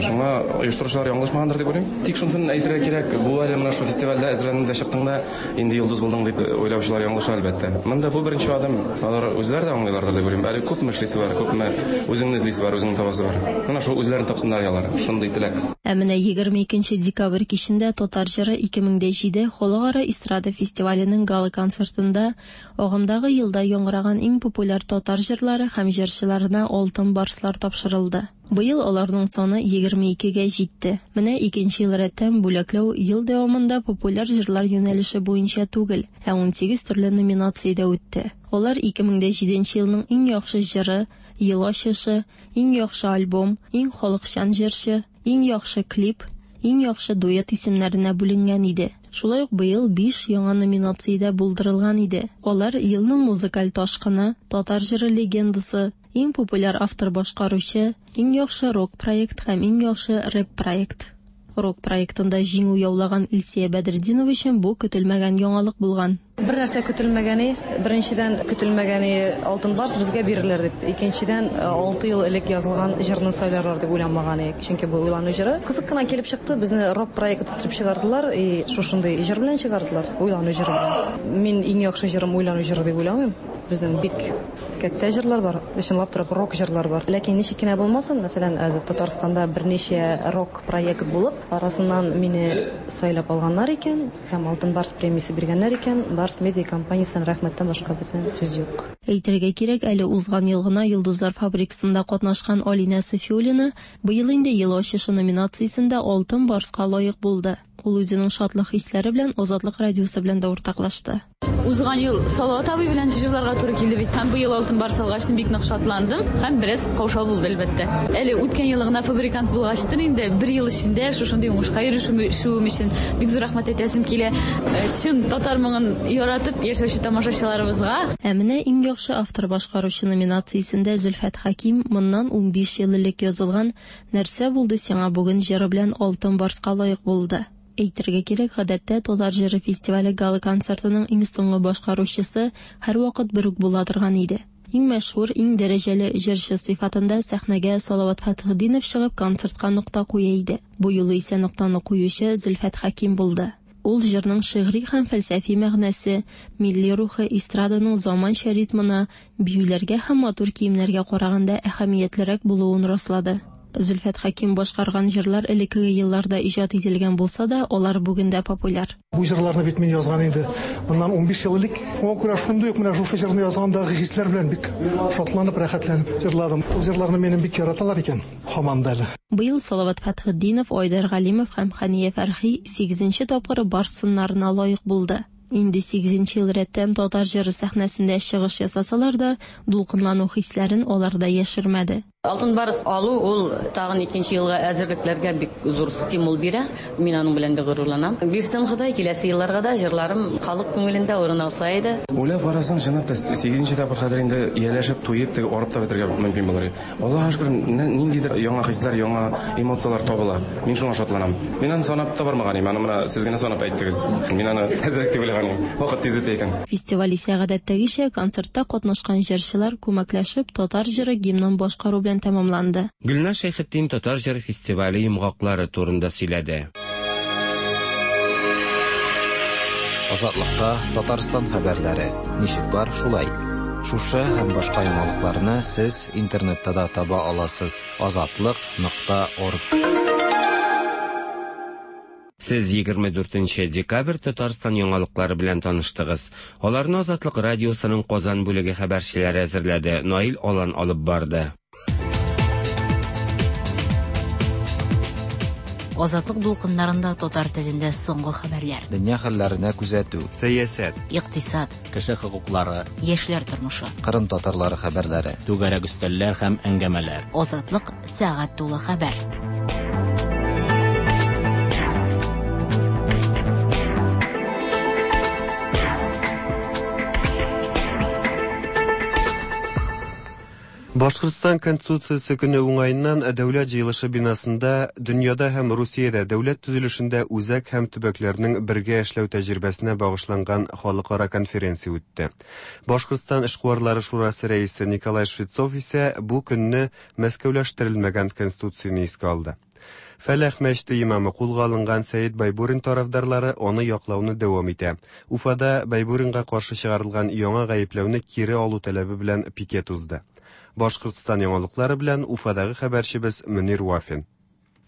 Шуңа оештыручылар ялгышмагандыр дип уйлыйм. Тик шунысын әйтергә кирәк, бу әле менә шул фестивальдә әзерләндең дә чыктың да, инде йолдыз булдың дип уйлаучылар ялгыша әлбәттә. Монда бу беренче адым, алар үзләре дә аңлыйлардыр дип уйлыйм. Әле күпме эшлисе бар, күпме үзеңне эзлисе бар, үзеңне табасы бар. Менә шул үзләрен тапсыннар алар. Шундый теләк. Ә менә егерме икенче декабрь кичендә Татар җыры ике мең дә җиде халыкара эстрада фестиваленең гала концертында агымдагы елда яңгыраган иң популяр татар җырлары һәм җырчыларына Алтын Барслар тапшырылды. Быел аларның саны егерме икегә җитте. Менә икенче ел рәттән бүләкләү ел дәвамында популяр җырлар юнәлеше буенча түгел, ә унсигез төрле номинациядә үтте. Алар ике мең дә җиденче елның иң яхшы җыры, ел ачышы, иң яхшы альбом, иң халыкчан җырчы, иң яхшы клип, иң яхшы дуэт исемнәренә бүленгән иде. Шулай ук быел биш яңа номинациядә булдырылган иде. Алар елның музыкаль ташкыны, татар җыры легендасы, иң популяр автор башкаручы, иң яхшы рок проект һәм иң яхшы рэп проект. Рок проектында җиңү яулаган Илсия Бәдретдинова өчен бу көтелмәгән яңалык булган. Бер нәрсә көтелмәгәне, беренчедән көтелмәгәне Алтын Барс безгә бирелер дип, икенчедән алты ел элек язылган җырны сайларлар дип уйламаган идек, чөнки бу уйлану җыры. Кызык кына килеп чыкты, безне рок проект итеп чыгардылар, и шушындый җыр белән чыгардылар, уйлану җыры белән. Мин иң яхшы җырым уйлану җыры дип уйламыйм. Безнең бик кәттә җырлар бар, чынлап торып рок җырлар бар. Ләкин ничек кенә булмасын, мәсәлән, Татарстанда берничә рок проект булып, арасыннан мине сайлап алганнар икән һәм Алтын Барс премиясе биргәннәр икән, Барс медиа компаниясенә рәхмәттән башка бүтән сүз юк. Әйтергә кирәк, әле узган ел гына Йолдызлар фабрикасында катнашкан Алинә Софиуллина быел инде ел ачышы номинациясендә Алтын Барска лаек булды. Ул үзенең шатлык хисләре белән Азатлык радиосы белән дә уртаклашты. Узган ел Салават абый белән җырларга туры килде бит. Һәм быел Алтын Барс алгач бик нык шатландым һәм бераз каушау булды әлбәттә. Әле үткән ел гына фабрикант булгачтын инде бер ел эчендә шушындый уңышка ирешүем өчен бик зур рәхмәт әйтәсем килә. Чын татар моңын яратып яшәүче тамашачыларыбызга. Ә менә иң яхшы автор башкаручы номинациясендә Зөлфәт Хәким моннан унбиш ел элек язылган Нәрсә булды сиңа бүген җыры белән Алтын Барска лаек булды. Әйтергә кирәк, гадәттә Татар җыры фестивале гала концертының иң соңгы башкаручысы һәрвакыт бер үк була торган иде. Иң мәшһүр, иң дәрәҗәле җырчы сыйфатында сәхнәгә Салават Фәтхетдинов чыгып концертка нокта куя иде. Бу юлы исә ноктаны куючы Зөлфәт Хәким булды. Ул җырның шигъри һәм фәлсәфи мәгънәсе, милли рухы, эстраданың заманча ритмына, биюләргә һәм матур киемнәргә караганда әһәмиятлерәк булуын раслады. Зөлфәт Хәким башкарган җырлар элеккеге елларда иҗат ителгән булса да, алар бүген дә популяр. Бу җырларны бит мин язган инде моннан унбиш ел элек. Шуңа күрә шундый ук менә шушы җырны язгандагы хисләр белән бик шатланып, рәхәтләнеп җырладым. Ул җырларны минем бик яраталар икән, һаман да әле. Быел Салават Фәтхетдинов, Айдар Галимов һәм Хәния Фәрхи сигезенче тапкыр Барс сыннарына лаек булды. Инде сигезенче ел рәттән татар җыры сәхнәсендә чыгыш ясасалар да, дулкынлану хисләрен алар да яшермәде. Алтын Барс алу ул тагын икенче елга әзерлекләргә бик зур стимул бирә. Мин аның белән бик горурланам. Бирсен Ходай, киләсе елларга да җырларым халык күңелендә урын алса иде. Уйлап карасаң, чынлап та сигезенче тапкыр хәзер инде ияләшеп, туеп, теге арып та бетерергә мөмкин булыр. Аллаһка шөкер, ниндидер яңа хисләр, яңа эмоцияләр табыла. Мин шуңа шатланам. Мин аны санап та бармаган идем. Аны менә сез генә санап әйттегез. Мин аны әзрәк дип уйлаган идем. Вакыт тиз үтә икән. Фестиваль исә гадәттәгечә концертта катнашкан җырчылар күмәкләшеп татар җыры гимнын башкару белән тәмамланды. Гөлназ Шәйхетдин татар җыры фестивале йомгаклары турында сөйләде. Азатлыкта Татарстан хәбәрләре. Ничек бар, шулай. Шушы һәм башка яңалыкларны сез интернетта да таба аласыз. азатлык нокта орг. Сез егерме дүртенче декабрь Татарстан яңалыклары белән таныштыгыз. Аларны Азатлык радиосының Казан бүлеге хәбәрчеләре әзерләде. Наил Алан алып барды. Азатлык дулкыннарында татар телендә соңгы хәбәрләр. Дөнья хәлләренә күзәтү, сәясәт, икътисад, кеше хокуклары, яшьләр тормышы, Кырым татарлары хәбәрләре, түгәрәк өстәлләр һәм әңгәмәләр. Азатлык сәгать тулы хәбәр. Башкортстан Конституциясе көне уңаеннан Дәүләт җыелышы бинасында дөньяда һәм Русиядә дәүләт төзелешендә үзәк һәм төбәкләрнең бергә эшләү тәҗрибәсенә багышланган халыкара конференция үтте. Башкортстан эшкуарлары шурасы рәисе Николай Швецов исә бу көнне Мәскәүләштерелмәгән конституцияне искә алды. Фәләх мәчете имамы кулга алынган Сәет Байбурин тарафдарлары аны яклауны дәвам итә. Уфада Байбуринга каршы чыгарылган яңа гаепләүне кире алу таләбе белән пикет узды. Башкортстан яңалыклары белән Уфадагы хәбәрчебез Мөнир Вафин.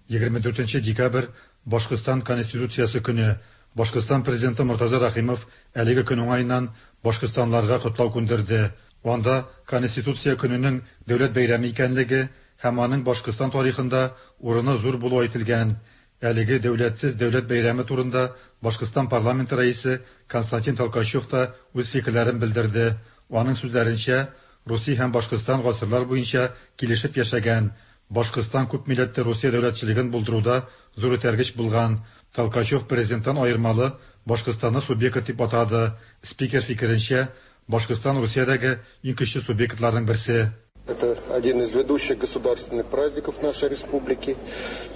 егерме дүртенче декабрь Башкортстан Конституциясе көне. Башкортстан президенты Мортаза Рахимов әлеге көн уңаеннан башкортстанларга котлау күндерде. Анда Конституция көненең дәүләт бәйрәме икәнлеге һәм аның Башкортстан тарихында урыны зур булуы әйтелгән. Әлеге дәүләтсез дәүләт бәйрәме турында Башкортстан парламенты рәисе Константин Толкачев та үз фикерләрен белдерде. Аның сүзләренчә, Русия һәм Башкортстан гасырлар буенча килешеп яшәгән. Башкортстан күп милләтле Русия дәүләтчелеген булдыруда зур этәргеч булган. Толкачев президенттан аермалы Башкортстанны субъект дип атады. Спикер фикеренчә, Башкортстан Русиядәге иң көчле субъектларның берсе. Это один из ведущих государственных праздников нашей республики.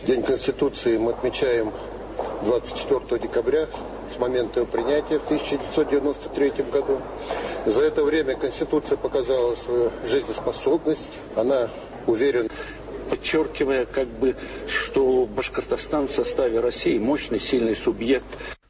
День Конституции мы отмечаем двадцать четвёртого декабря с момента его принятия в тысяча девятьсот девяносто третьем году. За это время Конституция показала свою жизнеспособность. Она уверена, подчеркивая, как бы, что Башкортостан в составе России мощный, сильный субъект.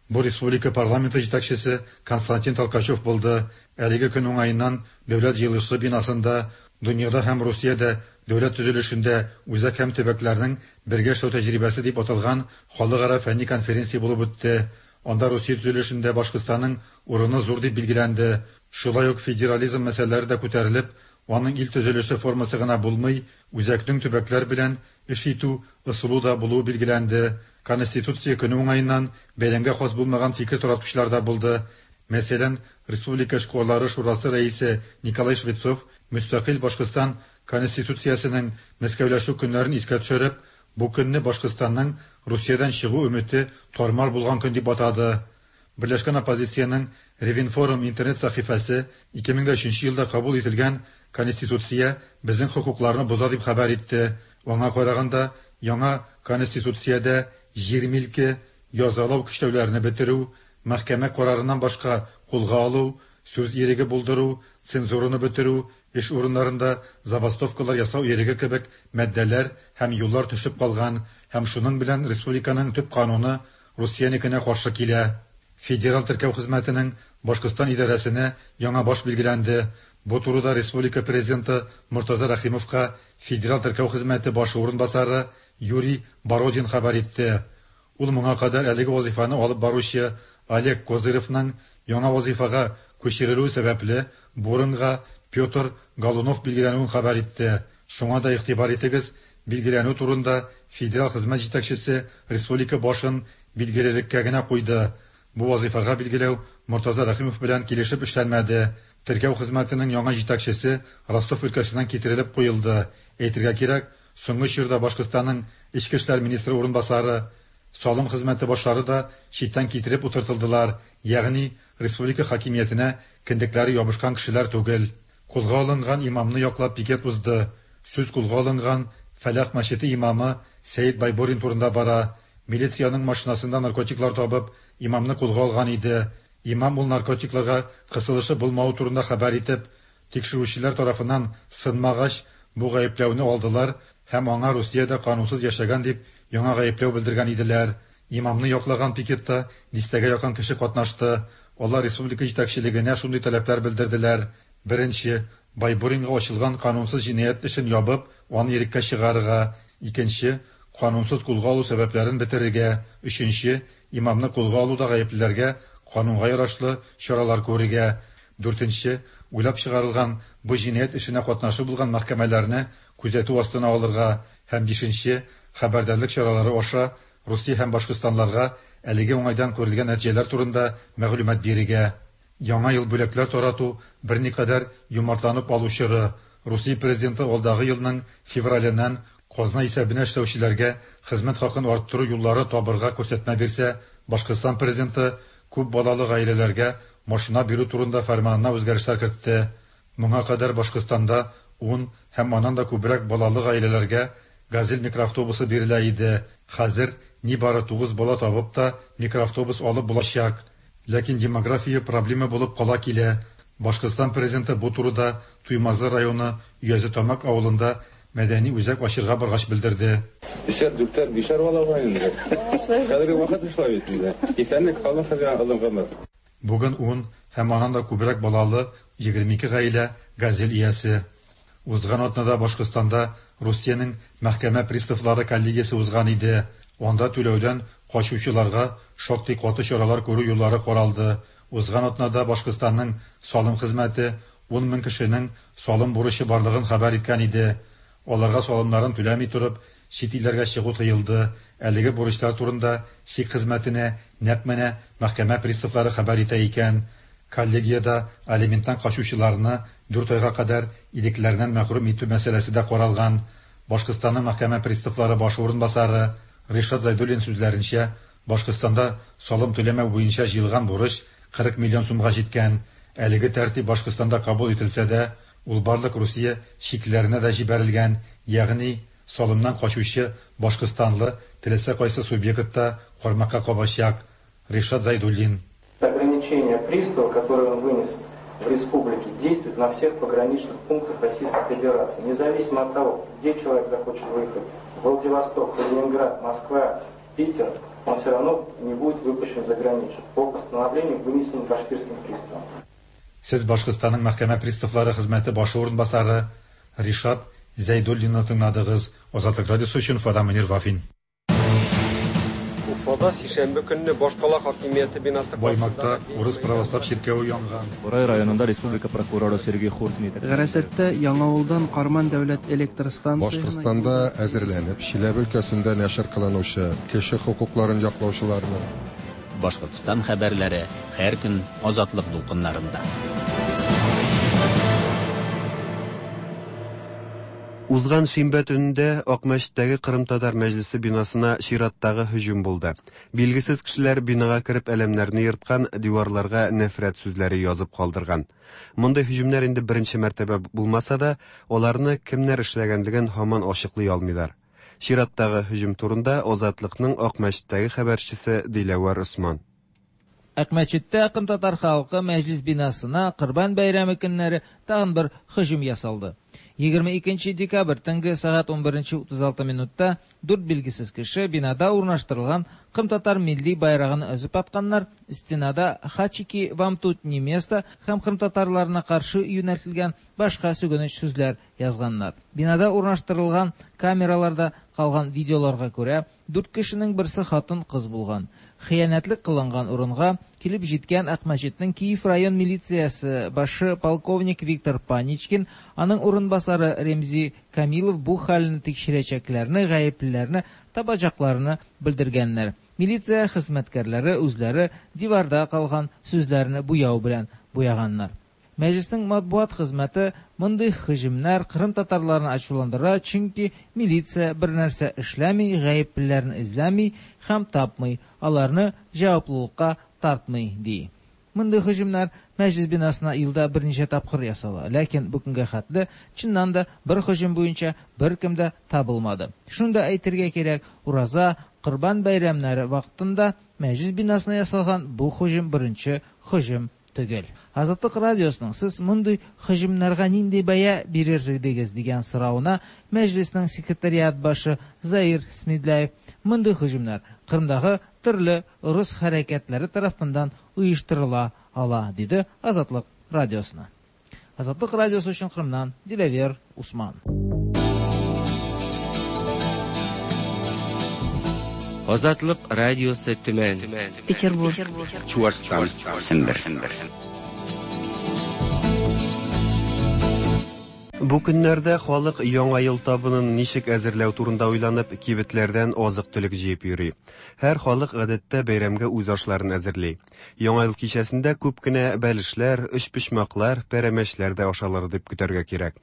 Бу республика парламенты җитәкчесе Константин Толкачев булды. Әлеге көн уңаеннан Дәүләт җыелышы бинасында дөньяда һәм Русиядә дәүләт төзелешендә үзәк һәм төбәкләрнең бергә эшләү тәҗрибәсе дип аталган халыкара фәнни конференция булып үтте. Анда Русия төзелешендә Башкортстанның урыны зур дип билгеләнде. Шулай ук федерализм мәсьәләләре дә күтәрелеп, аның ил төзелеше формасы гына булмый, үзәкнең төбәкләр белән эш итү ысулы да булуы билгеләнде. Конституция көне уңаеннан бәйрәмгә хас булмаган фикер таратучылар да булды. Мәсәлән, Республика эшкуарлары шурасы рәисе Николай Швецов мөстәкыйль Башкортстан Конституциясенең Мәскәүләшү көннәрен искә төшереп, бу көнне Башкортстанның Русиядән чыгу өмете тармар булган көн дип атады. Берләшкән оппозициянең Ревинформ интернет сәхифәсе ике мең өченче елда кабул ителгән Конституция безнең хокукларны боза дип хәбәр итте. Аңа караганда, яңа Конституциядә җир милке, язалау көчләүләрне бетерү, мәхкәмә карарыннан башка кулга алу, сүз иреге булдыру, цензураны бетерү, эш урыннарында забастовкалар ясау иреге кебек маддәләр һәм юллар төшеп калган һәм шуның белән республиканың төп кануны Русиянекенә каршы килә. Федераль теркәү хезмәтенең Башкортстан идарәсенә яңа баш билгеләнде. Бу турыда республика президенты Мортаза Рәхимовка Федераль теркәү хезмәте башы урынбасары Юрий Бородин хәбәр итте. Ул моңа кадәр әлеге вазифаны алып баручы Олег Козыревның яңа вазифага күчерелүе сәбәпле бу урынга Петр Голунов билгеләнүен хәбәр итте. Шуңа да игътибар итегез, билгеләнү турында федераль хезмәт җитәкчесе республика башын билгелелеккә генә куйды. Бу вазифага билгеләү Мортаза Рәхимов белән килешеп эшләнмәде. Теркәү хезмәтенең яңа җитәкчесе Ростов өлкәсеннән китерелеп куелды. Әйтергә кирәк, соңгы чорда Башкортстанның Эчке эшләр министры урынбасары, салым хезмәте башлары да читтән китереп утыртылдылар, ягъни республика хакимиятенә кендекләре ябышкан кешеләр түгел. Кулга алынган имамны яклап пикет узды. Сүз кулга алынган Фәлах мәчете имамы Сәет Байбурин турында бара. Милициянең машинасында наркотиклар табып, имамны кулга алган иде. Имам ул наркотикларга кысылышы булмавы турында хәбәр итеп, тикшерүчеләр тарафыннан сынмагач, бу гаепләүне алдылар һәм аңа Русиядә канунсыз яшәгән дип яңа гаепләү белдергән иделәр. Имамны яклаган пикетта дистәгә якын кеше катнашты. Алар республика җитәкчелегенә шундый таләпләр белдерделәр. Беренче, Байбуринга ачылган канунсыз җинаять эшен ябып, аны иреккә чыгарырга. Икенче, канунсыз кулга алу сәбәпләрен бетерергә. Өченче, имамны кулга алуда гаеплеләргә канунга ярашлы чаралар күрергә. Дүртенче, уйлап чыгарылган бу җинаять эшенә катнашы булган мәхкәмәләрне күзәтү астына алырга. Һәм бишенче, хәбәрдарлык чаралары аша Русия һәм Башкортстанларга әлеге уңайдан күрелгән нәтиҗәләр турында мәгълүмат бирергә. Яңа ел бүләкләр тарату берникадәр юмартланып алу чоры. Русия президенты алдагы елның февраленнән казна исәбенә эшләүчеләргә хезмәт хакын арттыру юллары табырга күрсәтмә бирсә, Башкортстан президенты күп балалы гаиләләргә машина бирү турында фәрманына үзгәрешләр кертте. Моңа кадәр Башкортстанда ун һәм аннан да күбрәк балалы гаиләләргә «Газель» микроавтобусы бирелә иде. Хәзер нибары тугыз бала табып та микроавтобус алып булачак. Ләкин демография проблема булып кала килә. Башкортстан президенты бу турыда Туймазы районы Өязетамак авылында мәдәни үзәк ачырга баргач белдерде. Өчәр, дүртәр, бишәр бала бар инде. Хәзерге вакыт шулай бит инде. Исәнлек халык хәзер алынган. Бүген ун һәм аннан да күбрәк балалы егерме ике гаилә «Газель» иясе. Узган атнада Башкортстанда Русиянең мәхкәмә приставлары коллегиясе узган иде. Анда түләүдән качучыларга шактый каты чаралар күрү юллары каралды. Узган атнада Башкортстанның салым хезмәте ун мең кешенең салым бурычы барлыгын хәбәр иткән иде. Аларга салымнарын түләми торып, чит илләргә чыгу тыелды. Әлеге бурычлар турында чик хезмәтенә нәкъ менә мәхкәмә приставлары хәбәр итә икән. Коллегиядә алименттан качучыларны дүрт айга кадәр ирекләреннән мәхрүм итү мәсьәләсе дә каралган. Башкортстанның мәхкәмә приставлары башы урынбасары Ришат Зайдуллин сүзләренчә, Башкортстанда салым түләмәү буенча җыелган бурыч кырык миллион сумга җиткән. Әлеге тәртип Башкортстанда кабул ителсә дә, ул барлык Русия чикләренә дә җибәрелгән, ягъни салымнан качучы башкортстанлы теләсә кайсы субъектта кармакка кабачак. Ришат Зайдуллин. Ограничение пристава, которое он вынес в республике, действует на всех пограничных пунктах Российской Федерации, независимо от того, где человек захочет выехать, Владивосток, Калининград, Москва, Питер, он все равно не будет выпущен за границу по постановлению, вынесенному башкирским приставом. Сез Башкортстанның мәхкәмә приставлары хезмәте башы урынбасары Ришат Зәйдуллинны тыңладыгыз. Азатлык радиосы өчен Фада Мөнир Вафин. Уфада сишәмбе көнне башкала хакимияте бинасы Баймакта урыс православ чиркәве янган. Бурай районында республика прокуроры Сергей Хуртин. Гарасәттә Яңавылдан Карман дәүләт электр станциясенә Башкортстанда әзерләнеп, Чиләбе өлкәсендә нәшер кылынучы кеше хокукларын яклаучыларның Башкортстан хәбәрләре һәр көн Азатлык дулкыннарында. Узган шимбә төнендә Акмәчеттәге Кырым татар мәҗлесе бинасына чираттагы һөҗүм булды. Билгесез кешеләр бинага кереп әләмнәрне ерткан, диварларга нәфрәт сүзләре язып калдырган. Мондый һөҗүмнәр инде беренче мәртәбә булмаса да, аларны кемнәр эшләгәнлеген һаман ачыклый алмыйлар. Чираттагы һөҗүм турында Азатлыкның Акмәчеттәге хәбәрчесе Диләвәр Усман. Акмәчеттә Кырым татар халкы мәҗлис бинасына Корбан бәйрәме көннәре тагын бер һөҗүм ясалды. Егерме икенче декабрь төнге сәгать унберенче утыз алты минутта дүрт билгесез кеше бинада урнаштырылган кырымтатар милли байрагын өзеп атканнар, стенада «Хачики, вам тут не место» һәм кырымтатарларына каршы юнәлтелгән башка сүгенеч сүзләр язганнар. Бинада урнаштырылган камераларда калган видеоларга күрә, дүрт кешенең берсе хатын-кыз булган. Хыянәтлек кылынган урынга килеп җиткән Акмәчетнең Киев район милициясе башы полковник Виктор Паничкин, аның урынбасары Ремзи Камилов бу хәлне тикшерәчәкләрне, гаеплеләрне табачакларны белдергәннәр. Милиция хезмәткәрләре үзләре диварда калган сүзләрне буяу белән буяганнар. Мәҗлеснең матбугат хезмәте мондый һөҗүмнәр кырым татарларын ачуландыра, чөнки милиция бер нәрсә эшләми, гаеплеләрне эзләми һәм тапмый, аларны җаваплылыкка тартмый, ди. Мондый һөҗүмнәр мәҗлес бинасына елда берничә тапкыр ясала, ләкин бу көнгә хәтле чыннан да бер һөҗүм буенча беркем дә табылмады. Шуны да әйтергә кирәк, Ураза, Корбан бәйрәмнәре вакытында мәҗлес бинасына ясалган бу һөҗүм беренче һөҗүм түгел. Азатлык радиосының сез мондый һөҗүмнәргә нинди бәя бирер идегез дигән соравына мәҗлеснең секретариат башы Заир Смедляев мондый һөҗүмнәр Кырымдагы төрле рус хәрәкәтләре тарафыннан оештырыла ала, диде Азатлык радиосына. Азатлык радиосы өчен Кырымнан Диләвер Усман. Азатлык радиосы Төмән, Петербург, Чуашстан, Сембер. Бу көннәрдә халык яңа ел табынын ничек әзерләү турында уйланып, кибетләрдән азык-төлек җыеп йөри. Һәр халык гадәттә бәйрәмгә үз ашларын әзерли. Яңа ел кичәсендә күп кенә бәлешләр, өчпочмаклар, пәрәмәчләр дә ашалыр дип көтәргә кирәк.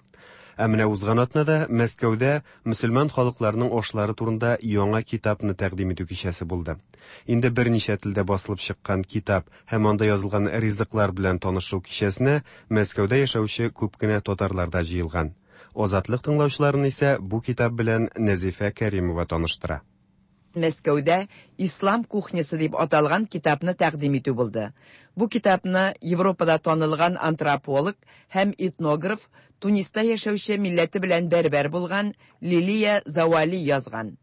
Ә менә узган атнада Мәскәүдә мөселман халыкларының ашлары турында яңа китапны тәкъдим итү кичәсе булды. Инде берничә телдә басылып чыккан китап һәм анда язылган ризыклар белән танышу кичәсенә Мәскәүдә яшәүче күп кенә татарлар да җыелган. Азатлык тыңлаучыларын исә бу китап белән Нәзифә Кәримова таныштыра. Мәскәүдә «Ислам кухнясы» дип аталган китапны тәкъдим итү булды. Бу китапны Европада танылган антрополог һәм этнограф, Туниста яшәүче милләте белән бәрбәр булган Лилия Завали язган.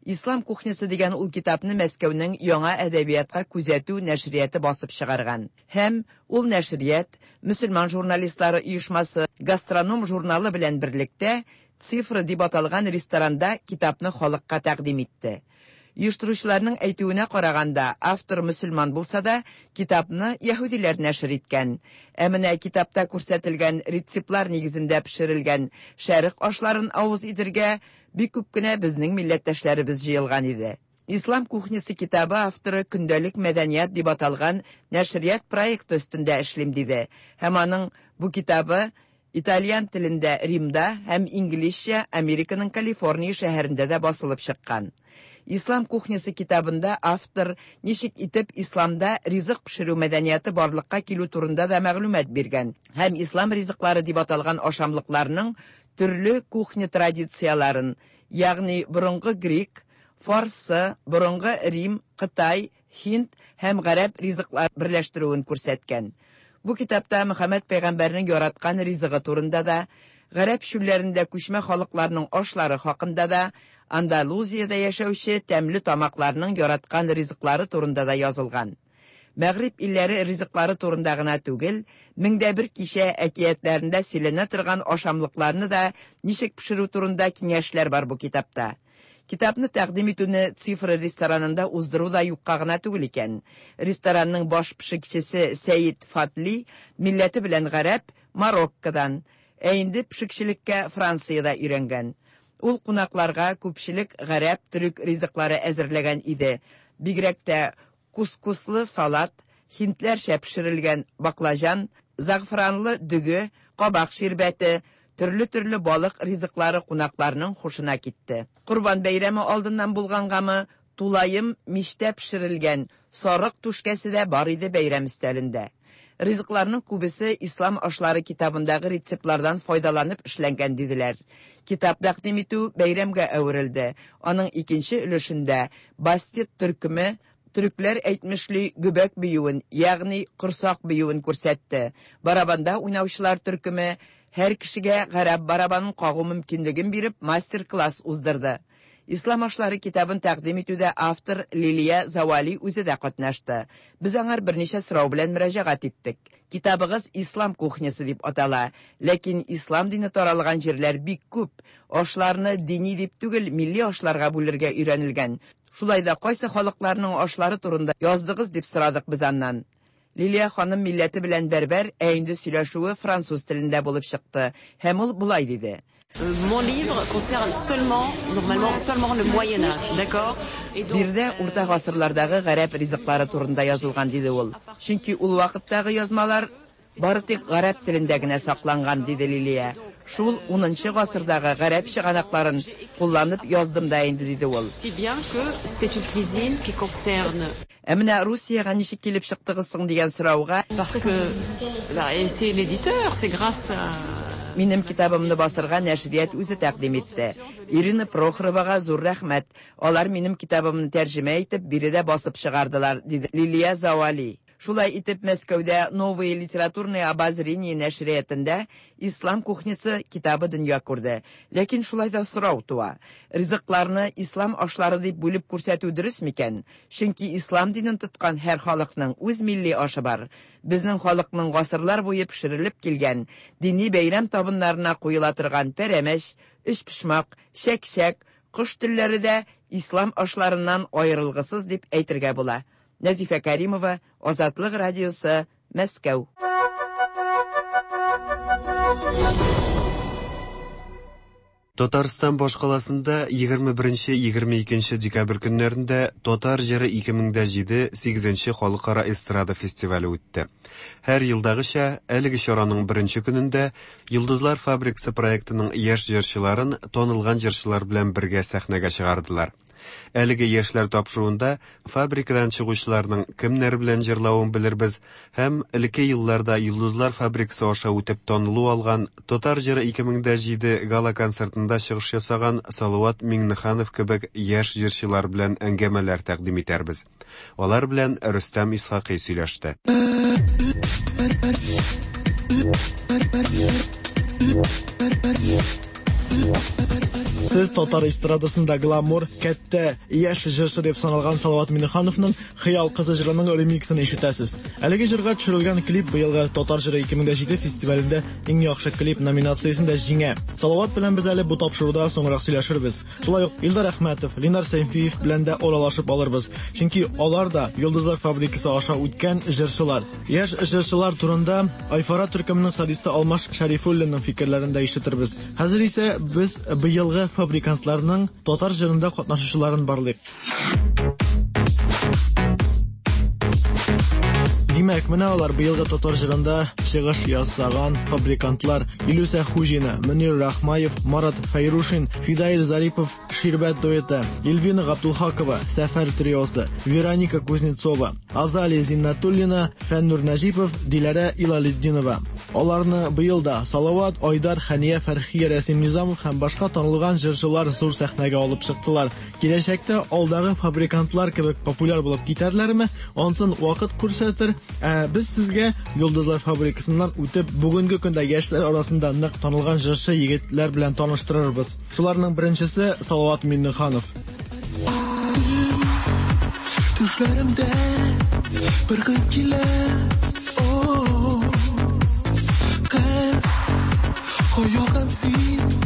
«Ислам кухнясы» дигән ул китапны Мәскәүнең яңа әдәбиятка күзәтү нәшрияты басып чыгарган. Һәм ул нәшрият мөселман журналистлары оешмасы «Гастроном» журналы белән берлектә «Цифра» дип аталган ресторанда китапны халыкка тәкъдим итте. Оештыручыларның әйтүенә караганда, автор мөселман булса да, китапны яһүдиләр нәшер иткән. Ә менә китапта күрсәтелгән рецептлар нигезендә пешерелгән шәрык ашларын авыз итергә бик күп кенә безнең милләттәшләребез җыелган иде. «Ислам кухнясы» китабы авторы «Көндәлек мәдәният» дип аталган нәшрият проекты өстендә эшлим диде. Һәм аның бу китабы итальян телендә Римда һәм инглизчә Американың Калифорния шәһәрендә дә басылып чыккан. «Ислам кухнясы» китабында автор ничек итеп исламда ризык пешерү мәдәнияте барлыкка килү турында да мәгълүмат биргән һәм ислам ризыклары дип аталган ашамлыкларның төрле кухня традицияларын, ягъни борынгы грек, фарсы, борынгы Рим, Кытай, Һинд һәм гарәп ризыклар берләштерүен күрсәткән. Бу китапта Мөхәммәд пәйгамбәрнең яраткан ризыгы турында да, гарәп чүлләрендә күчмә халыкларның ашлары хакында да, Андалузиядә яшәүче тәмле тамакларның яраткан ризыклары турында да язылган. Мәгъриб илләре ризыклары турында гына түгел, меңдә бер кичә әкиятләрендә сөйләнә торган ашамлыкларны да ничек пешерү турында киңәшләр бар бу китапта. Китапны тәкъдим итүне «Цифра» ресторанында уздыру да юкка гына түгел икән. Ресторанның баш пешекчесе Сәид Фатли милләте белән гарәп, Мароккодан, ә инде пешекчелеккә Франциядә өйрәнгән. Ул кунакларга күпчелек гарәп төрек ризыклары әзерләгән иде. Бигрәк тә кускуслы салат, һиндләрчә пешерелгән баклажан, зәгъфранлы дөге, кабак ширбәте, төрле-төрле балык ризыклары кунакларның хушына китте. Корбан бәйрәме алдыннан булгангамы, тулаем мичтә пешерелгән сарык түшкәсе дә бар иде бәйрәм өстәлендә. Ризыкларның күбесе «Ислам ашлары» китабындагы рецептлардан файдаланып эшләнгән диделәр. Китап тәкъдим итү бәйрәмгә әверелде. Аның икенче өлешендә Бастет төркеме төрекләр әйтмешли гөбәк биюен, ягъни корсак биюен күрсәтте. Барабанда уйнаучылар төркеме Һәр кешегә гарәп барабанын кагу мөмкинлеген биреп, мастер-класс уздырды. Ислам ашлары китабын тәкъдим итүдә автор Лилия Завали үзе дә катнашты. Без аңар берничә сорау белән мөрәҗәгать иттек. Китабыгыз Ислам кухнясы дип атала, ләкин ислам дине таралган җирләр бик күп. Ашларны дини дип түгел, милли ашларга бүлергә өйрәнелгән. Шулай да кайсы халыкларның ашлары турында яздыгыз дип сорадык без аннан. Лилия ханым милләте белән бәрбәр, ә инде сөйләшүе француз телендә булып чыкты. Һәм ул болай диде. Mon livre concerne seulement, normalement, seulement le Moyen Âge, d'accord? Биредә урта гасырлардагы гарәп ризыклары турында язылган, диде ул. Чөнки ул вакыттагы язмалар бары тик гарәп телендә генә сакланган, диде Лилия. Шул унынчы гасырдагы гарәп чыганакларын кулланып яздым да инде, диде ул. Si bien que c'est une cuisine qui concerne Ә менә Русиягә ничек килеп чыктыгыз соң дигән сорауга, parce que bah, et c'est l'éditeur, c'est grâce à Минем китабымны басырга нәшрият үзе тәкъдим итте. Ирина Прохоровага зур рәхмәт. Алар минем китабымны тәрҗемә итеп, биредә басып чыгардылар, диде Лилия Завали. Шулай итеп Мәскәүдә Новые литературные обозрения нәшриятында Ислам кухнясы китабы дөнья күрде. Ләкин шулай да сорау туа. Ризыкларны ислам ашлары дип бүлеп күрсәтү дөрес микән? Чөнки ислам динен тоткан һәр халыкның үз милли ашы бар. Безнең халыкның гасырлар буе пешерелеп килгән дини бәйрәм табыннарына куела торган пәрәмәч, өчпочмак, чәк-чәк, кош телләре дә ислам ашларыннан аерылгысыз дип әйтергә була. Нәзифә Каримова, Азатлык радиосы, Мәскәү. Татарстан башкаласында егерме беренче егерме икенче декабрь көннәрендә Татар җыры ике мең дә җиде сигезенче халыкара эстрада фестивале үтте. Һәр елдагыча әлеге чараның беренче көнендә Йолдызлар фабрикасы проектының яшь җырчыларын танылган җырчылар белән бергә сәхнәгә чыгардылар. Әлеге яшьләр тапшыруында фабрикадан чыгучыларның кемнәр белән җырлавын белербез һәм элекке елларда Йолдызлар фабрикасы аша үтеп танылу алган Татар җыры ике мең дә җиде гала концертында чыгыш ясаган Салават Миңнеханов кебек яшь җырчылар белән әңгәмәләр тәкъдим итәрбез. Алар белән Рөстәм Исхакый сөйләште. Сез татар эстрадасында гламур, кәттә, яшь җырчы дип саналган Салават Миңнехановның Хыял кызы җырының ремиксын ишетәсез. Әлеге җырга төшерелгән клип быелгы Татар җыры ике мең дә җиде фестивалендә иң яхшы клип номинациясендә җиңә. Салават белән без әле бу тапшыруда соңрак сөйләшербез. Шулай ук Илдар Әхмәтов, Ленар Сәйфиев белән дә аралашып алырбыз. Чөнки алар да Йолдызлар фабрикасы аша үткән җырчылар. Яшь җырчылар турында Айфара төркеменең солисты Алмаш Шәрифуллинның фикерләрен дә ишетербез. Хәзер исә без быелгы фабрикантларның татар җырында катнашучыларын барлыйк. Димәк, менә алар быелгы татар җырында чыгыш ясаган фабрикантлар: Илүсә Хуҗина, Мөнир Рахмаев, Марат Фәйрушин, Фидаил Зарипов, Ширбәт дуэты, Эльвина Габдулхакова, Сәфәр триосы, Вероника Кузнецова, Азалия Зиннатуллина, Фәннур Нәҗипов, Диләрә Илалетдинова. Аларны быел да Салават, Айдар, Хәния Фәрхия, Рәсим Низамов һәм башка танылган җырчылар зур сәхнәгә алып чыктылар. Киләчәктә алдагы фабрикантлар кебек популяр булып китәрләрме? Ансын вакыт күрсәтер. Ә без сезгә Йолдызлар фабрикасыннан үтеп, бүгенге көндә яшьләр арасында нык танылган җырчы егетләр белән таныштырырбыз. Шуларның беренчесе Салават Миңнеханов. Төшләремдә бер кыз килә, кыз, каядан син,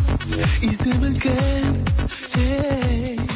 исемең кем?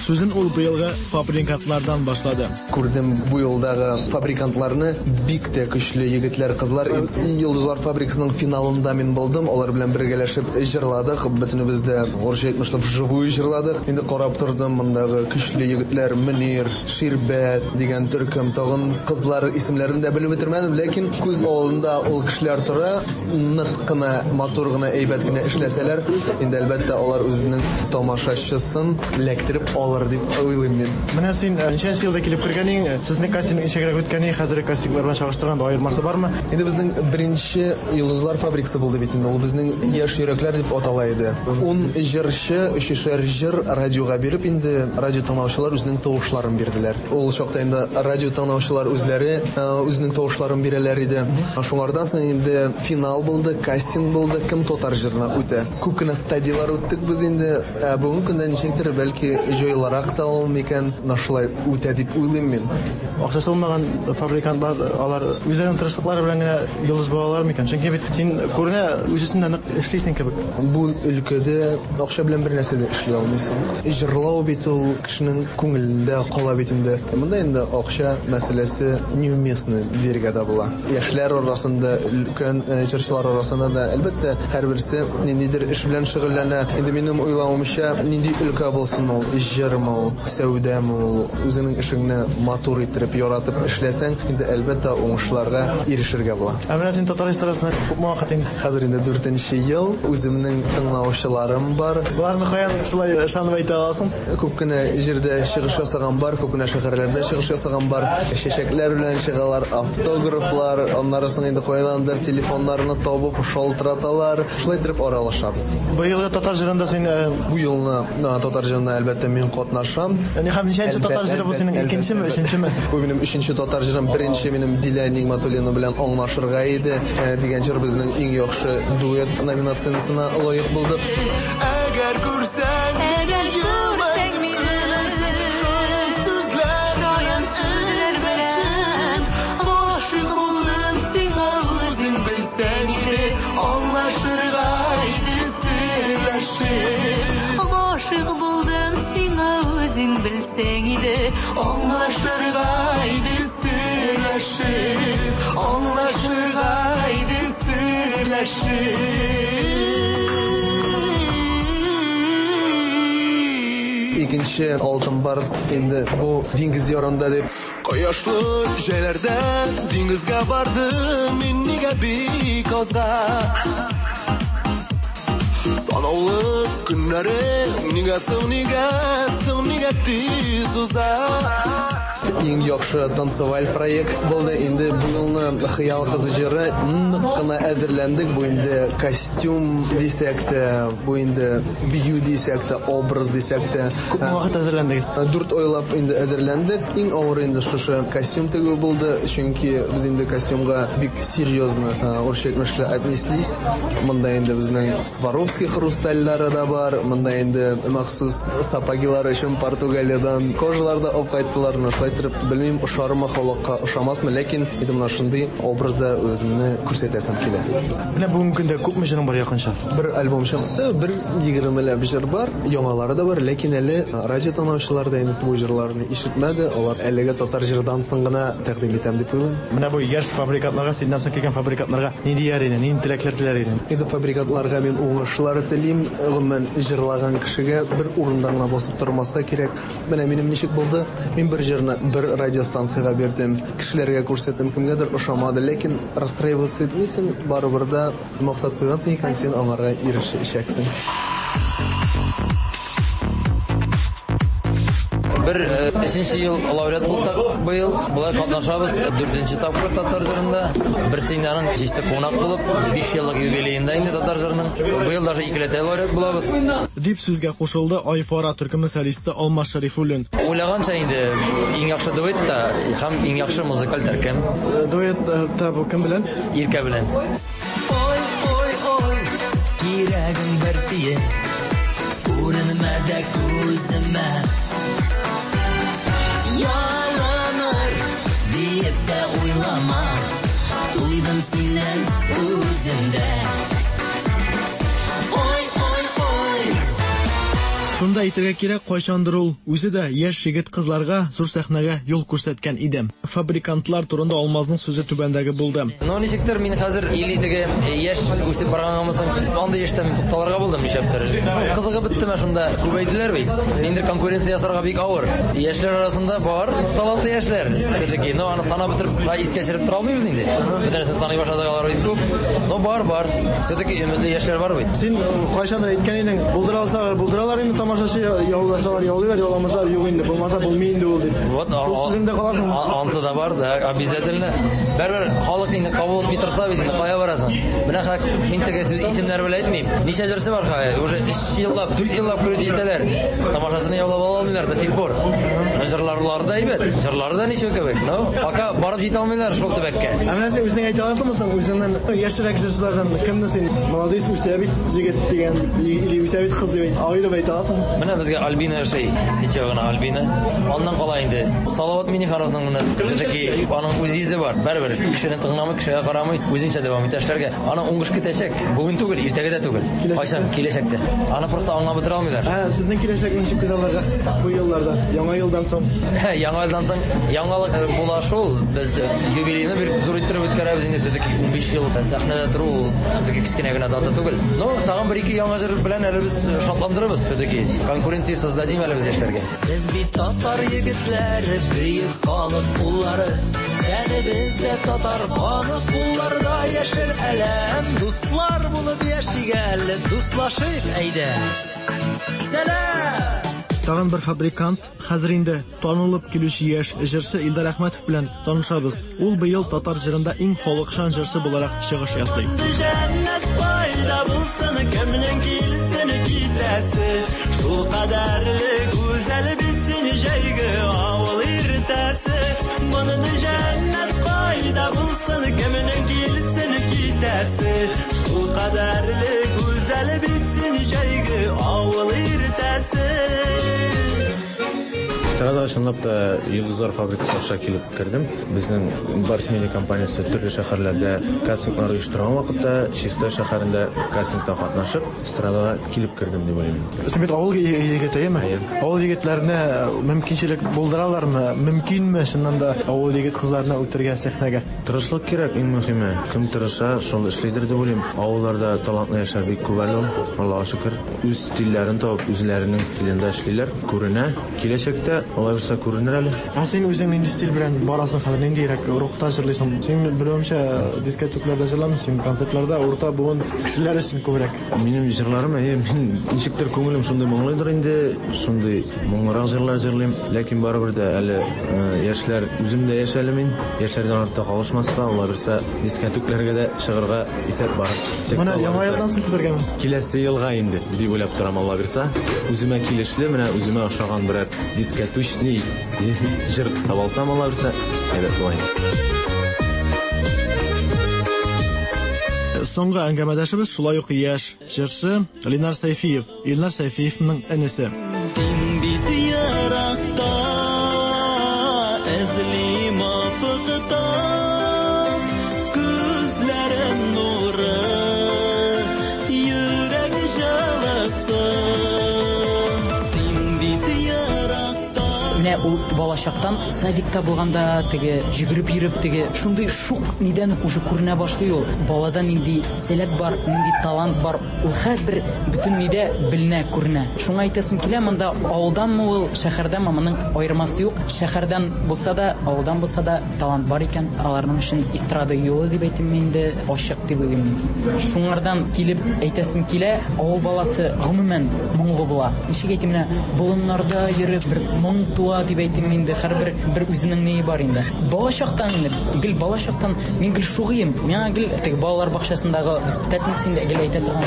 Сүзен ул быелгы фабрикантлардан башлады. Күрдем бу елдагы фабрикантларны, бик тә көчле егетләр, кызлар. Йолдызлар фабрикасының финалында мин булдым. Алар белән бергәләшеп җырладык. Бөтенебез дә урысча әйтмешләп вживую җырладык. Инде карап тордым, мондагы көчле егетләр Мөнир, Ширбәт дигән төркем, тагын кызлар исемнәрен дә белеп бетермәдем, ләкин күз алдында ул кешеләр тора. Нык кына, матур гына, әйбәт кенә эшләсәләр, инде әлбәттә алар үзенең тамашачысын эләктереп алыр бар дип уйлыйм мин. Менә син ничәнче елда килеп кергәнең, сезнең кастинг ничегрәк үткәне, хәзерге кастинглар белән чагыштырганда аермасы бармы? Инде безнең беренче Йолдызлар фабрикасы булды бит инде. Ул безнең яшь йөрәкләр дип атала иде. Ун җырчы, өчешәр җыр радиога биреп, инде радио тыңлаучылар үзенең тавышларын бирделәр. Ул чакта инде радио тыңлаучылар үзләре үзенең тавышларын бирәләр иде. Шуңардан соң инде финал булды, кастинг булды, кем татар җырына үтә. Күп кенә стадиялар үттек без инде. Ә бүгенге көндә ничектер бәлки җайларак та ул микән, шулай үтә дип уйлыйм мин. Акчасы булмаган фабрикантлар алар үзләренең тырышлыклары белән генә йолдыз була алар микән? Чөнки бит син күренә үз өстендә нык эшлисең кебек. Бу өлкәдә акча белән бер нәрсә дә эшли алмыйсың. Җырлау бит ул кешенең күңелендә кала бит инде. Монда инде акча мәсьәләсе неуместный дияргә дә була. Яшьләр арасында, өлкән җырчылар арасында да әлбәттә һәрберсе ниндидер эш белән шөгыльләнә. Инде минем уйлавымча, нинди өлкә булсын ул, җырмы ул, сәүдәме ул, үзеңнең эшеңне матур итеп, яратып эшләсәң, инде әлбәттә уңышларга ирешергә була. Ә менә син татар эстрадасында күпме вакыт инде? Хәзер инде дүртенче ел, үземнең тыңлаучыларым бар. Боларны каян шулай ышанып әйтә аласың? Күп кенә җирдә чыгыш ясаган бар, күп кенә шәһәрләрдә чыгыш ясаган бар. Чәчәкләр белән чыгалар, автографлар, аннары соң инде кайдандыр телефоннарны табып шалтыраталар. Шулай итеп аралашабыз. Быелгы татар җырында син бу елны татар җырында әлбәттә мин катнашам. Яни һәм ничәнче татар җыры бу синең, икенчеме, өченчеме? Бу минем өченче татар җырым. Беренче минем Дилә Нигматуллина белән аңлашырга иде дигән җыр безнең иң яхшы дуэт номинациясенә лаек булды. Әгәр күрсәң, әгәр күрсәң мине, шаян сүзләр белән гашыйк булдым сиңа, үзең белсәң иде, аңлашырга иде сөйләшеп. Гашыйк булдым сиңа, үзең белсәң иде, аңлашырга иде сөйләшеп, аңлашырга иде сөйләшеп. Икенче Алтын Барс инде бу диңгез ярында дип. Кояшлы җәйләрдә диңгезгә бардым мин нигә бик азга. Санаулы көннәре нигә соң, нигә соң, нигә тиз уза. Иң яхшы танцеваль проект булды. Инде бу елны Хыял кызы җыры нык кына әзерләндек. Бу инде костюм дисәк тә, бу инде бию дисәк тә, образ дисәк тә. Күпме вакыт әзерләндегез? Дүрт айлап инде әзерләндек. Иң авыр инде шушы костюм тегү булды, чөнки без инде костюмга бик серьезно, урысча әйтмешли, отнеслись. Монда инде безнең Сваровский хрустальлары да бар, монда инде махсус сапогилар өчен Португалиядән кожалар да алып кайттылар. Шулай итеп, белмим, ошармы халыкка, ошамасмы, ләкин инде менә шундый образда үземне күрсәтәсем килә. Менә бүгенге көндә күпме җырың бар якынча? Бер альбом чыкты, бер егермеләп җыр бар, яңалары да бар, ләкин әле радио тыңлаучылар да инде бу җырларны ишетмәде. Алар әлегә татар җырдан соң гына тәкъдим итәм дип уйлыйм. Менә бу яшь фабрикантларга, синнән соң килгән фабрикантларга ни дияр идең, нинди теләкләр теләр идең? Инде фабрикантларга мин уңышлар телим. Гомумән, җырлаган кешегә бер урында гына басып тормаска кирәк. Менә минем ничек булды? Мин бер җырны бер радиостанциягә бирдем, кешеләргә күрсәттем, кемгәдер ошамады, ләкин расстраиваться итмисең, барыбер дә максат куйгансың икән, син аңарга ирешәчәксең. Бер өченче ел лауреат булсак, быел болай катнашабыз дүртенче тапкыр татар җырында. Берсе инде аның чисте кунак булып, биш еллык юбилеенда инде татар җырының. Быел даже икеләтә лауреат булабыз. Дип сүзгә кушылды Айфара төркеме солисты Алмаз Шәрифуллин. Уйлаганча инде иң яхшы дуэт та һәм иң яхшы музыкаль төркем. Дуэт та бу кем белән? Иркә белән. Ой, ой, ой, кирәгең бер тиен, күренмә дә күземә. Ялыныр диеп тә уйлама, туйдым синнән үзем дә. Ой, ой, ой. Шунда әйтергә кирәк, кайчандыр ул үзе дә яшь егет кызларга зур сәхнәгә юл күрсәткән иде. Фабрикантлар турында Алмазның сүзе түбәндәге булды. Ну, ничектер мин хәзер или теге яшь үсеп барганмы соң, андый яшьтә мин тукталырга булдым нишләптер. Кызыгы беттеме шунда, күбәйделәр бит. Ниндидер конкуренция ясарга бик авыр. Яшьләр арасында бар талантлы яшьләр. Все-таки, но аны санап бетереп, та искә төшереп тора алмыйбыз инде. Бөтенесен саный башладык, алар бит күп. Но бар, бар. Все-таки өметле яшьләр бар бит. Син кайчандыр әйткән идең, булдыра алсалар, булдыралар инде Тамашачы яуласалар яулыйлар, яуламасалар юк инде, булмаса булмый инде ул дип. Вот, шул сүзеңдә каласыңмы? Ансы да бар, да, обязательно. Бәрбер халык инде кабул итми торса бит инде кая барасың? Менә хак мин теге сүз исемнәр белән әйтмим. Ничә җырчы бар хәзер? Уже өч еллап, дүрт еллап күреп җитәләр. Тамашасыны яулап ала алмыйлар до сих пор. Җырларлары да әйбәт, җырлары да ничек кебек. Но пока барып җитә алмыйлар шул төбәккә. Ә менә син үзең әйтә аласыңмы соң, үзеңнән яшьрәк җырчылардан кемне син молодец үсә бит җегет дигән или үсә бит кыз дип аерып әйтә аласыңмы? Менә безгә Альбина ошый. Ничә генә Альбина. Аннан кала инде Салават Минихановның менә все-таки аның үз йөзе бар. Барыбер кешене тыңламый, кешегә карамый, үзенчә дәвам итә эшләргә. Аның уңыш көтәчәк. Бүген түгел, иртәгә дә түгел. Кайчан? Киләчәктә. Аны просто аңлап бетерә алмыйлар. Ә сезнең киләчәк ничек күз алдарга бу елларда? Яңа елдан соң? Яңа елдан соң яңалык була шул. Без юбилейны бер зур иттереп үткәрәбез инде, все-таки унбиш ел сәхнәдә тору ул все-таки кечкенә генә дата түгел. Но тагын бер ике яңа җыр белән әле без шатландырабыз все-таки. Конкуренция создадим әле без яшьләргә. Без бит татар егетләре, бөек халык уллары. Тәнебездә татар каны, кулларда яшел әләм. Дуслар булып яшик әле, дуслашыйк әйдә. Сәлам! Тагын бер фабрикант, хәзер инде танылып килүче яшь җырчы Илдар Әхмәтов белән танышабыз. Ул быел татар җырында иң халыкчан җырчы буларак чыгыш ясый. Җәннәт кайда булсын, кемнең килсен китәсе, шул кадәрле гүзәл бит син җәйге авыл иртәсе. Моны җәннәт кайда булсын, кемнең килсен китәсе, шул кадәрле гүзәл бит син җәйге авыл иртәсе. Эстрада чынлап та Йолдызлар фабрикасы аша килеп кердем. Безнең Барс Медиа компаниясе төрле шәһәрләрдә кастинглар оештырган вакытта Чистай шәһәрендә кастингта катнашып, эстрадага килеп кердем дип уйлыйм. Син бит авыл егете, әйеме? Авыл егетләренә мөмкинчелек булдыралармы? Мөмкинме чыннан да авыл егет кызларына үтергә сәхнәгә? Тырышлык кирәк, иң мөһиме. Кем тырыша, шул эшлидер дип уйлыйм. Авылларда талантлы яшьләр бик күп әле ул. Аллаһка шөкер, үз стильләрен табып, үзләренең стилендә эшлиләр, күренә. Киләчәктә алай булса күренер әле. Ә син үзең нинди стиль белән барасың хәзер, ниндирәк рухта җырлыйсың? Син белүемчә дискотекларда җырламыйсың, син концертларда урта буын кешеләр өчен күбрәк. Минем җырларым, әйе, мин ничектер күңелем шундый моңлыдыр инде, шундый моңлырак җырлар җырлыйм, ләкин барыбер дә әле яшьләр, үзем дә яшь әле мин, яшьләрдән артта калышмаска, алла бирсә, дискотекларга да чыгарга исәп бар. Менә яңа елдан соң көтәргәме? Киләсе елга инде дип уйлап торам, алла бирсә. Үземә килешле, менә үземә ошаган берәр дискотечный җыр таба алсам, алла бирсә, әйбәт була инде. Соңгы әңгәмәдәшебез шулай ук яшь җырчы Ленар Сәйфиев. Илнар Сәйфиевның энесе. Син бит еракта, эзлим офыкта, күзләрем нуры, йөрәк җылысы. Син бит еракта. Менә ул балачактан садикта булганда теге йөгереп йөреп теге шундый шук нидән уже күренә башлый ул. Балада нинди сәләт бар, нинди талант бар, ул һәрбер бөтен нидә беленә, күренә. Шуңа әйтәсем килә, монда авылданмы ул, шәһәрдәнме, моның аермасы юк. Шәһәрдән булса да, авылдан булса да талант бар икән, аларның өчен эстрада юлы дип әйтим инде, ачык дип уйлыйм мин. Шуңардан килеп әйтәсем килә, авыл баласы гомумән моңлы була. Ничек әйтим, менә болыннарда йөреп бер моң туа дип әйтим инде, һәрбер бер үзенең ние бар инде. Балачактан инде, гел балачактан мин гел шугыйм. Миңа гел теге балалар бакчасындагы воспитательница инде гел әйтә торган.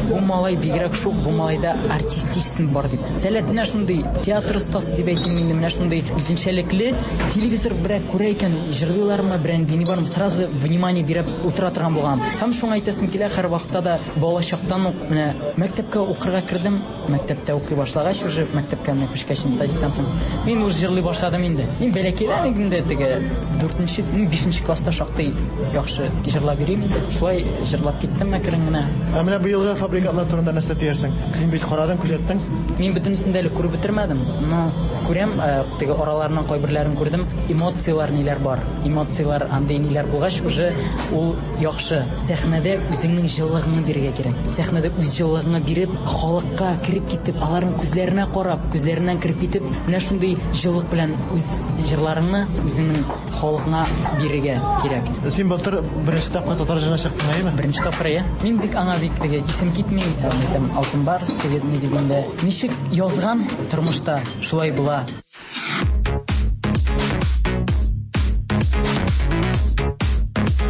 Бу малай бигрәк шук, бу малайда артистизм бар дип. Сәләт менә шундый театр остасы дип әйтим инде, менә шундый үзенчәлекле. Телевизор берәр күрә икән, җырлыйлармы, берәр дини бармы, сразу внимание биреп утыра торган булган. Һәм шуңа әйтәсем килә, һәр вакытта да балачактан ук менә мәктәпкә укырга кердем, мәктәптә укый башлагач, уже мәктәпкә менә күчкәч, садиктан соң мин уже җырлый башладым инде. Мин бәләкәйдән инде теге дүртенче, бишенче класста шактый яхшы җырлап йөрим инде. Шулай җырлап киттем әкрен генә. Ә менә быелгы фабрикантлар турында нәрсә диярсең? Син бит карадың, күзәттең. Мин бөтенесен дә әле күреп бетермәдем. Но күрәм, теге араларының кайберләрен күрдем. Эмоцияләр ниләр бар. Эмоцияләр андый ниләр булгач, уже ул яхшы. Сәхнәдә үзеңнең җылылыгыңны бирергә кирәк. Сәхнәдә үз җылылыгыңны биреп, халыкка кереп китеп, аларның күзләренә карап, күзләреннән кереп китеп, менә шундый җылылык белән үз җырларыңны үзеңнең халкыңа бирергә кирәк. Син былтыр беренче тапкыр татар җырына чыктың, әйеме? Беренче тапкыр, әйе. Мин бик аңа бик теге исем китми, әйтәм, Алтын Барс теге ни дигәндә, ничек язган тормышта шулай була.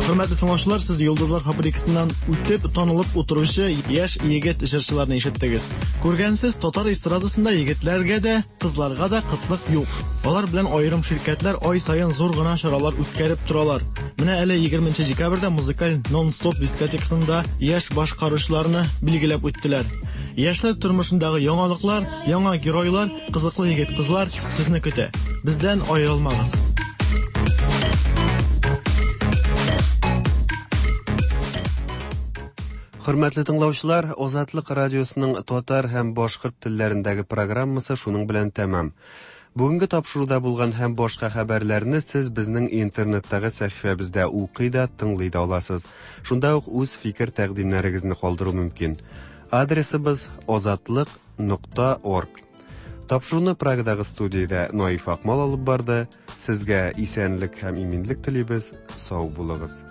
Хөрмәтле тыңлаучылар, сез Йолдызлар фабрикасыннан үтеп, танылып утыручы яшь егет җырчыларны ишеттегез. Күргәнсез, татар эстрадасында егетләргә дә, кызларга да кытлык юк. Алар белән аерым ширкәтләр ай саен зур гына чаралар үткәреп торалар. Менә әле егерменче декабрьдә музыкаль нон-стоп дискотекасында яшь башкаручыларны билгеләп үттеләр. Яшьләр тормышындагы яңалыклар, яңа геройлар, кызыклы егет-кызлар сезне көтә. Бездән аерылмагыз. Хөрмәтле тыңлаучылар, Азатлык радиосының татар һәм башкорт телләрендәге программасы шуның белән тәмам. Бүгенге тапшыруда булган һәм башка хәбәрләрне сез безнең интернеттагы сәхифәбездә укый да, тыңлый да аласыз. Шунда ук үз фикер тәкъдимнәрегезне калдыру мөмкин. Адресыбыз азатлык нокта орг. Тапшыруны Прагадагы студиядә Наиф Акмал алып барды. Сезгә исәнлек һәм иминлек телибез. Сау булыгыз.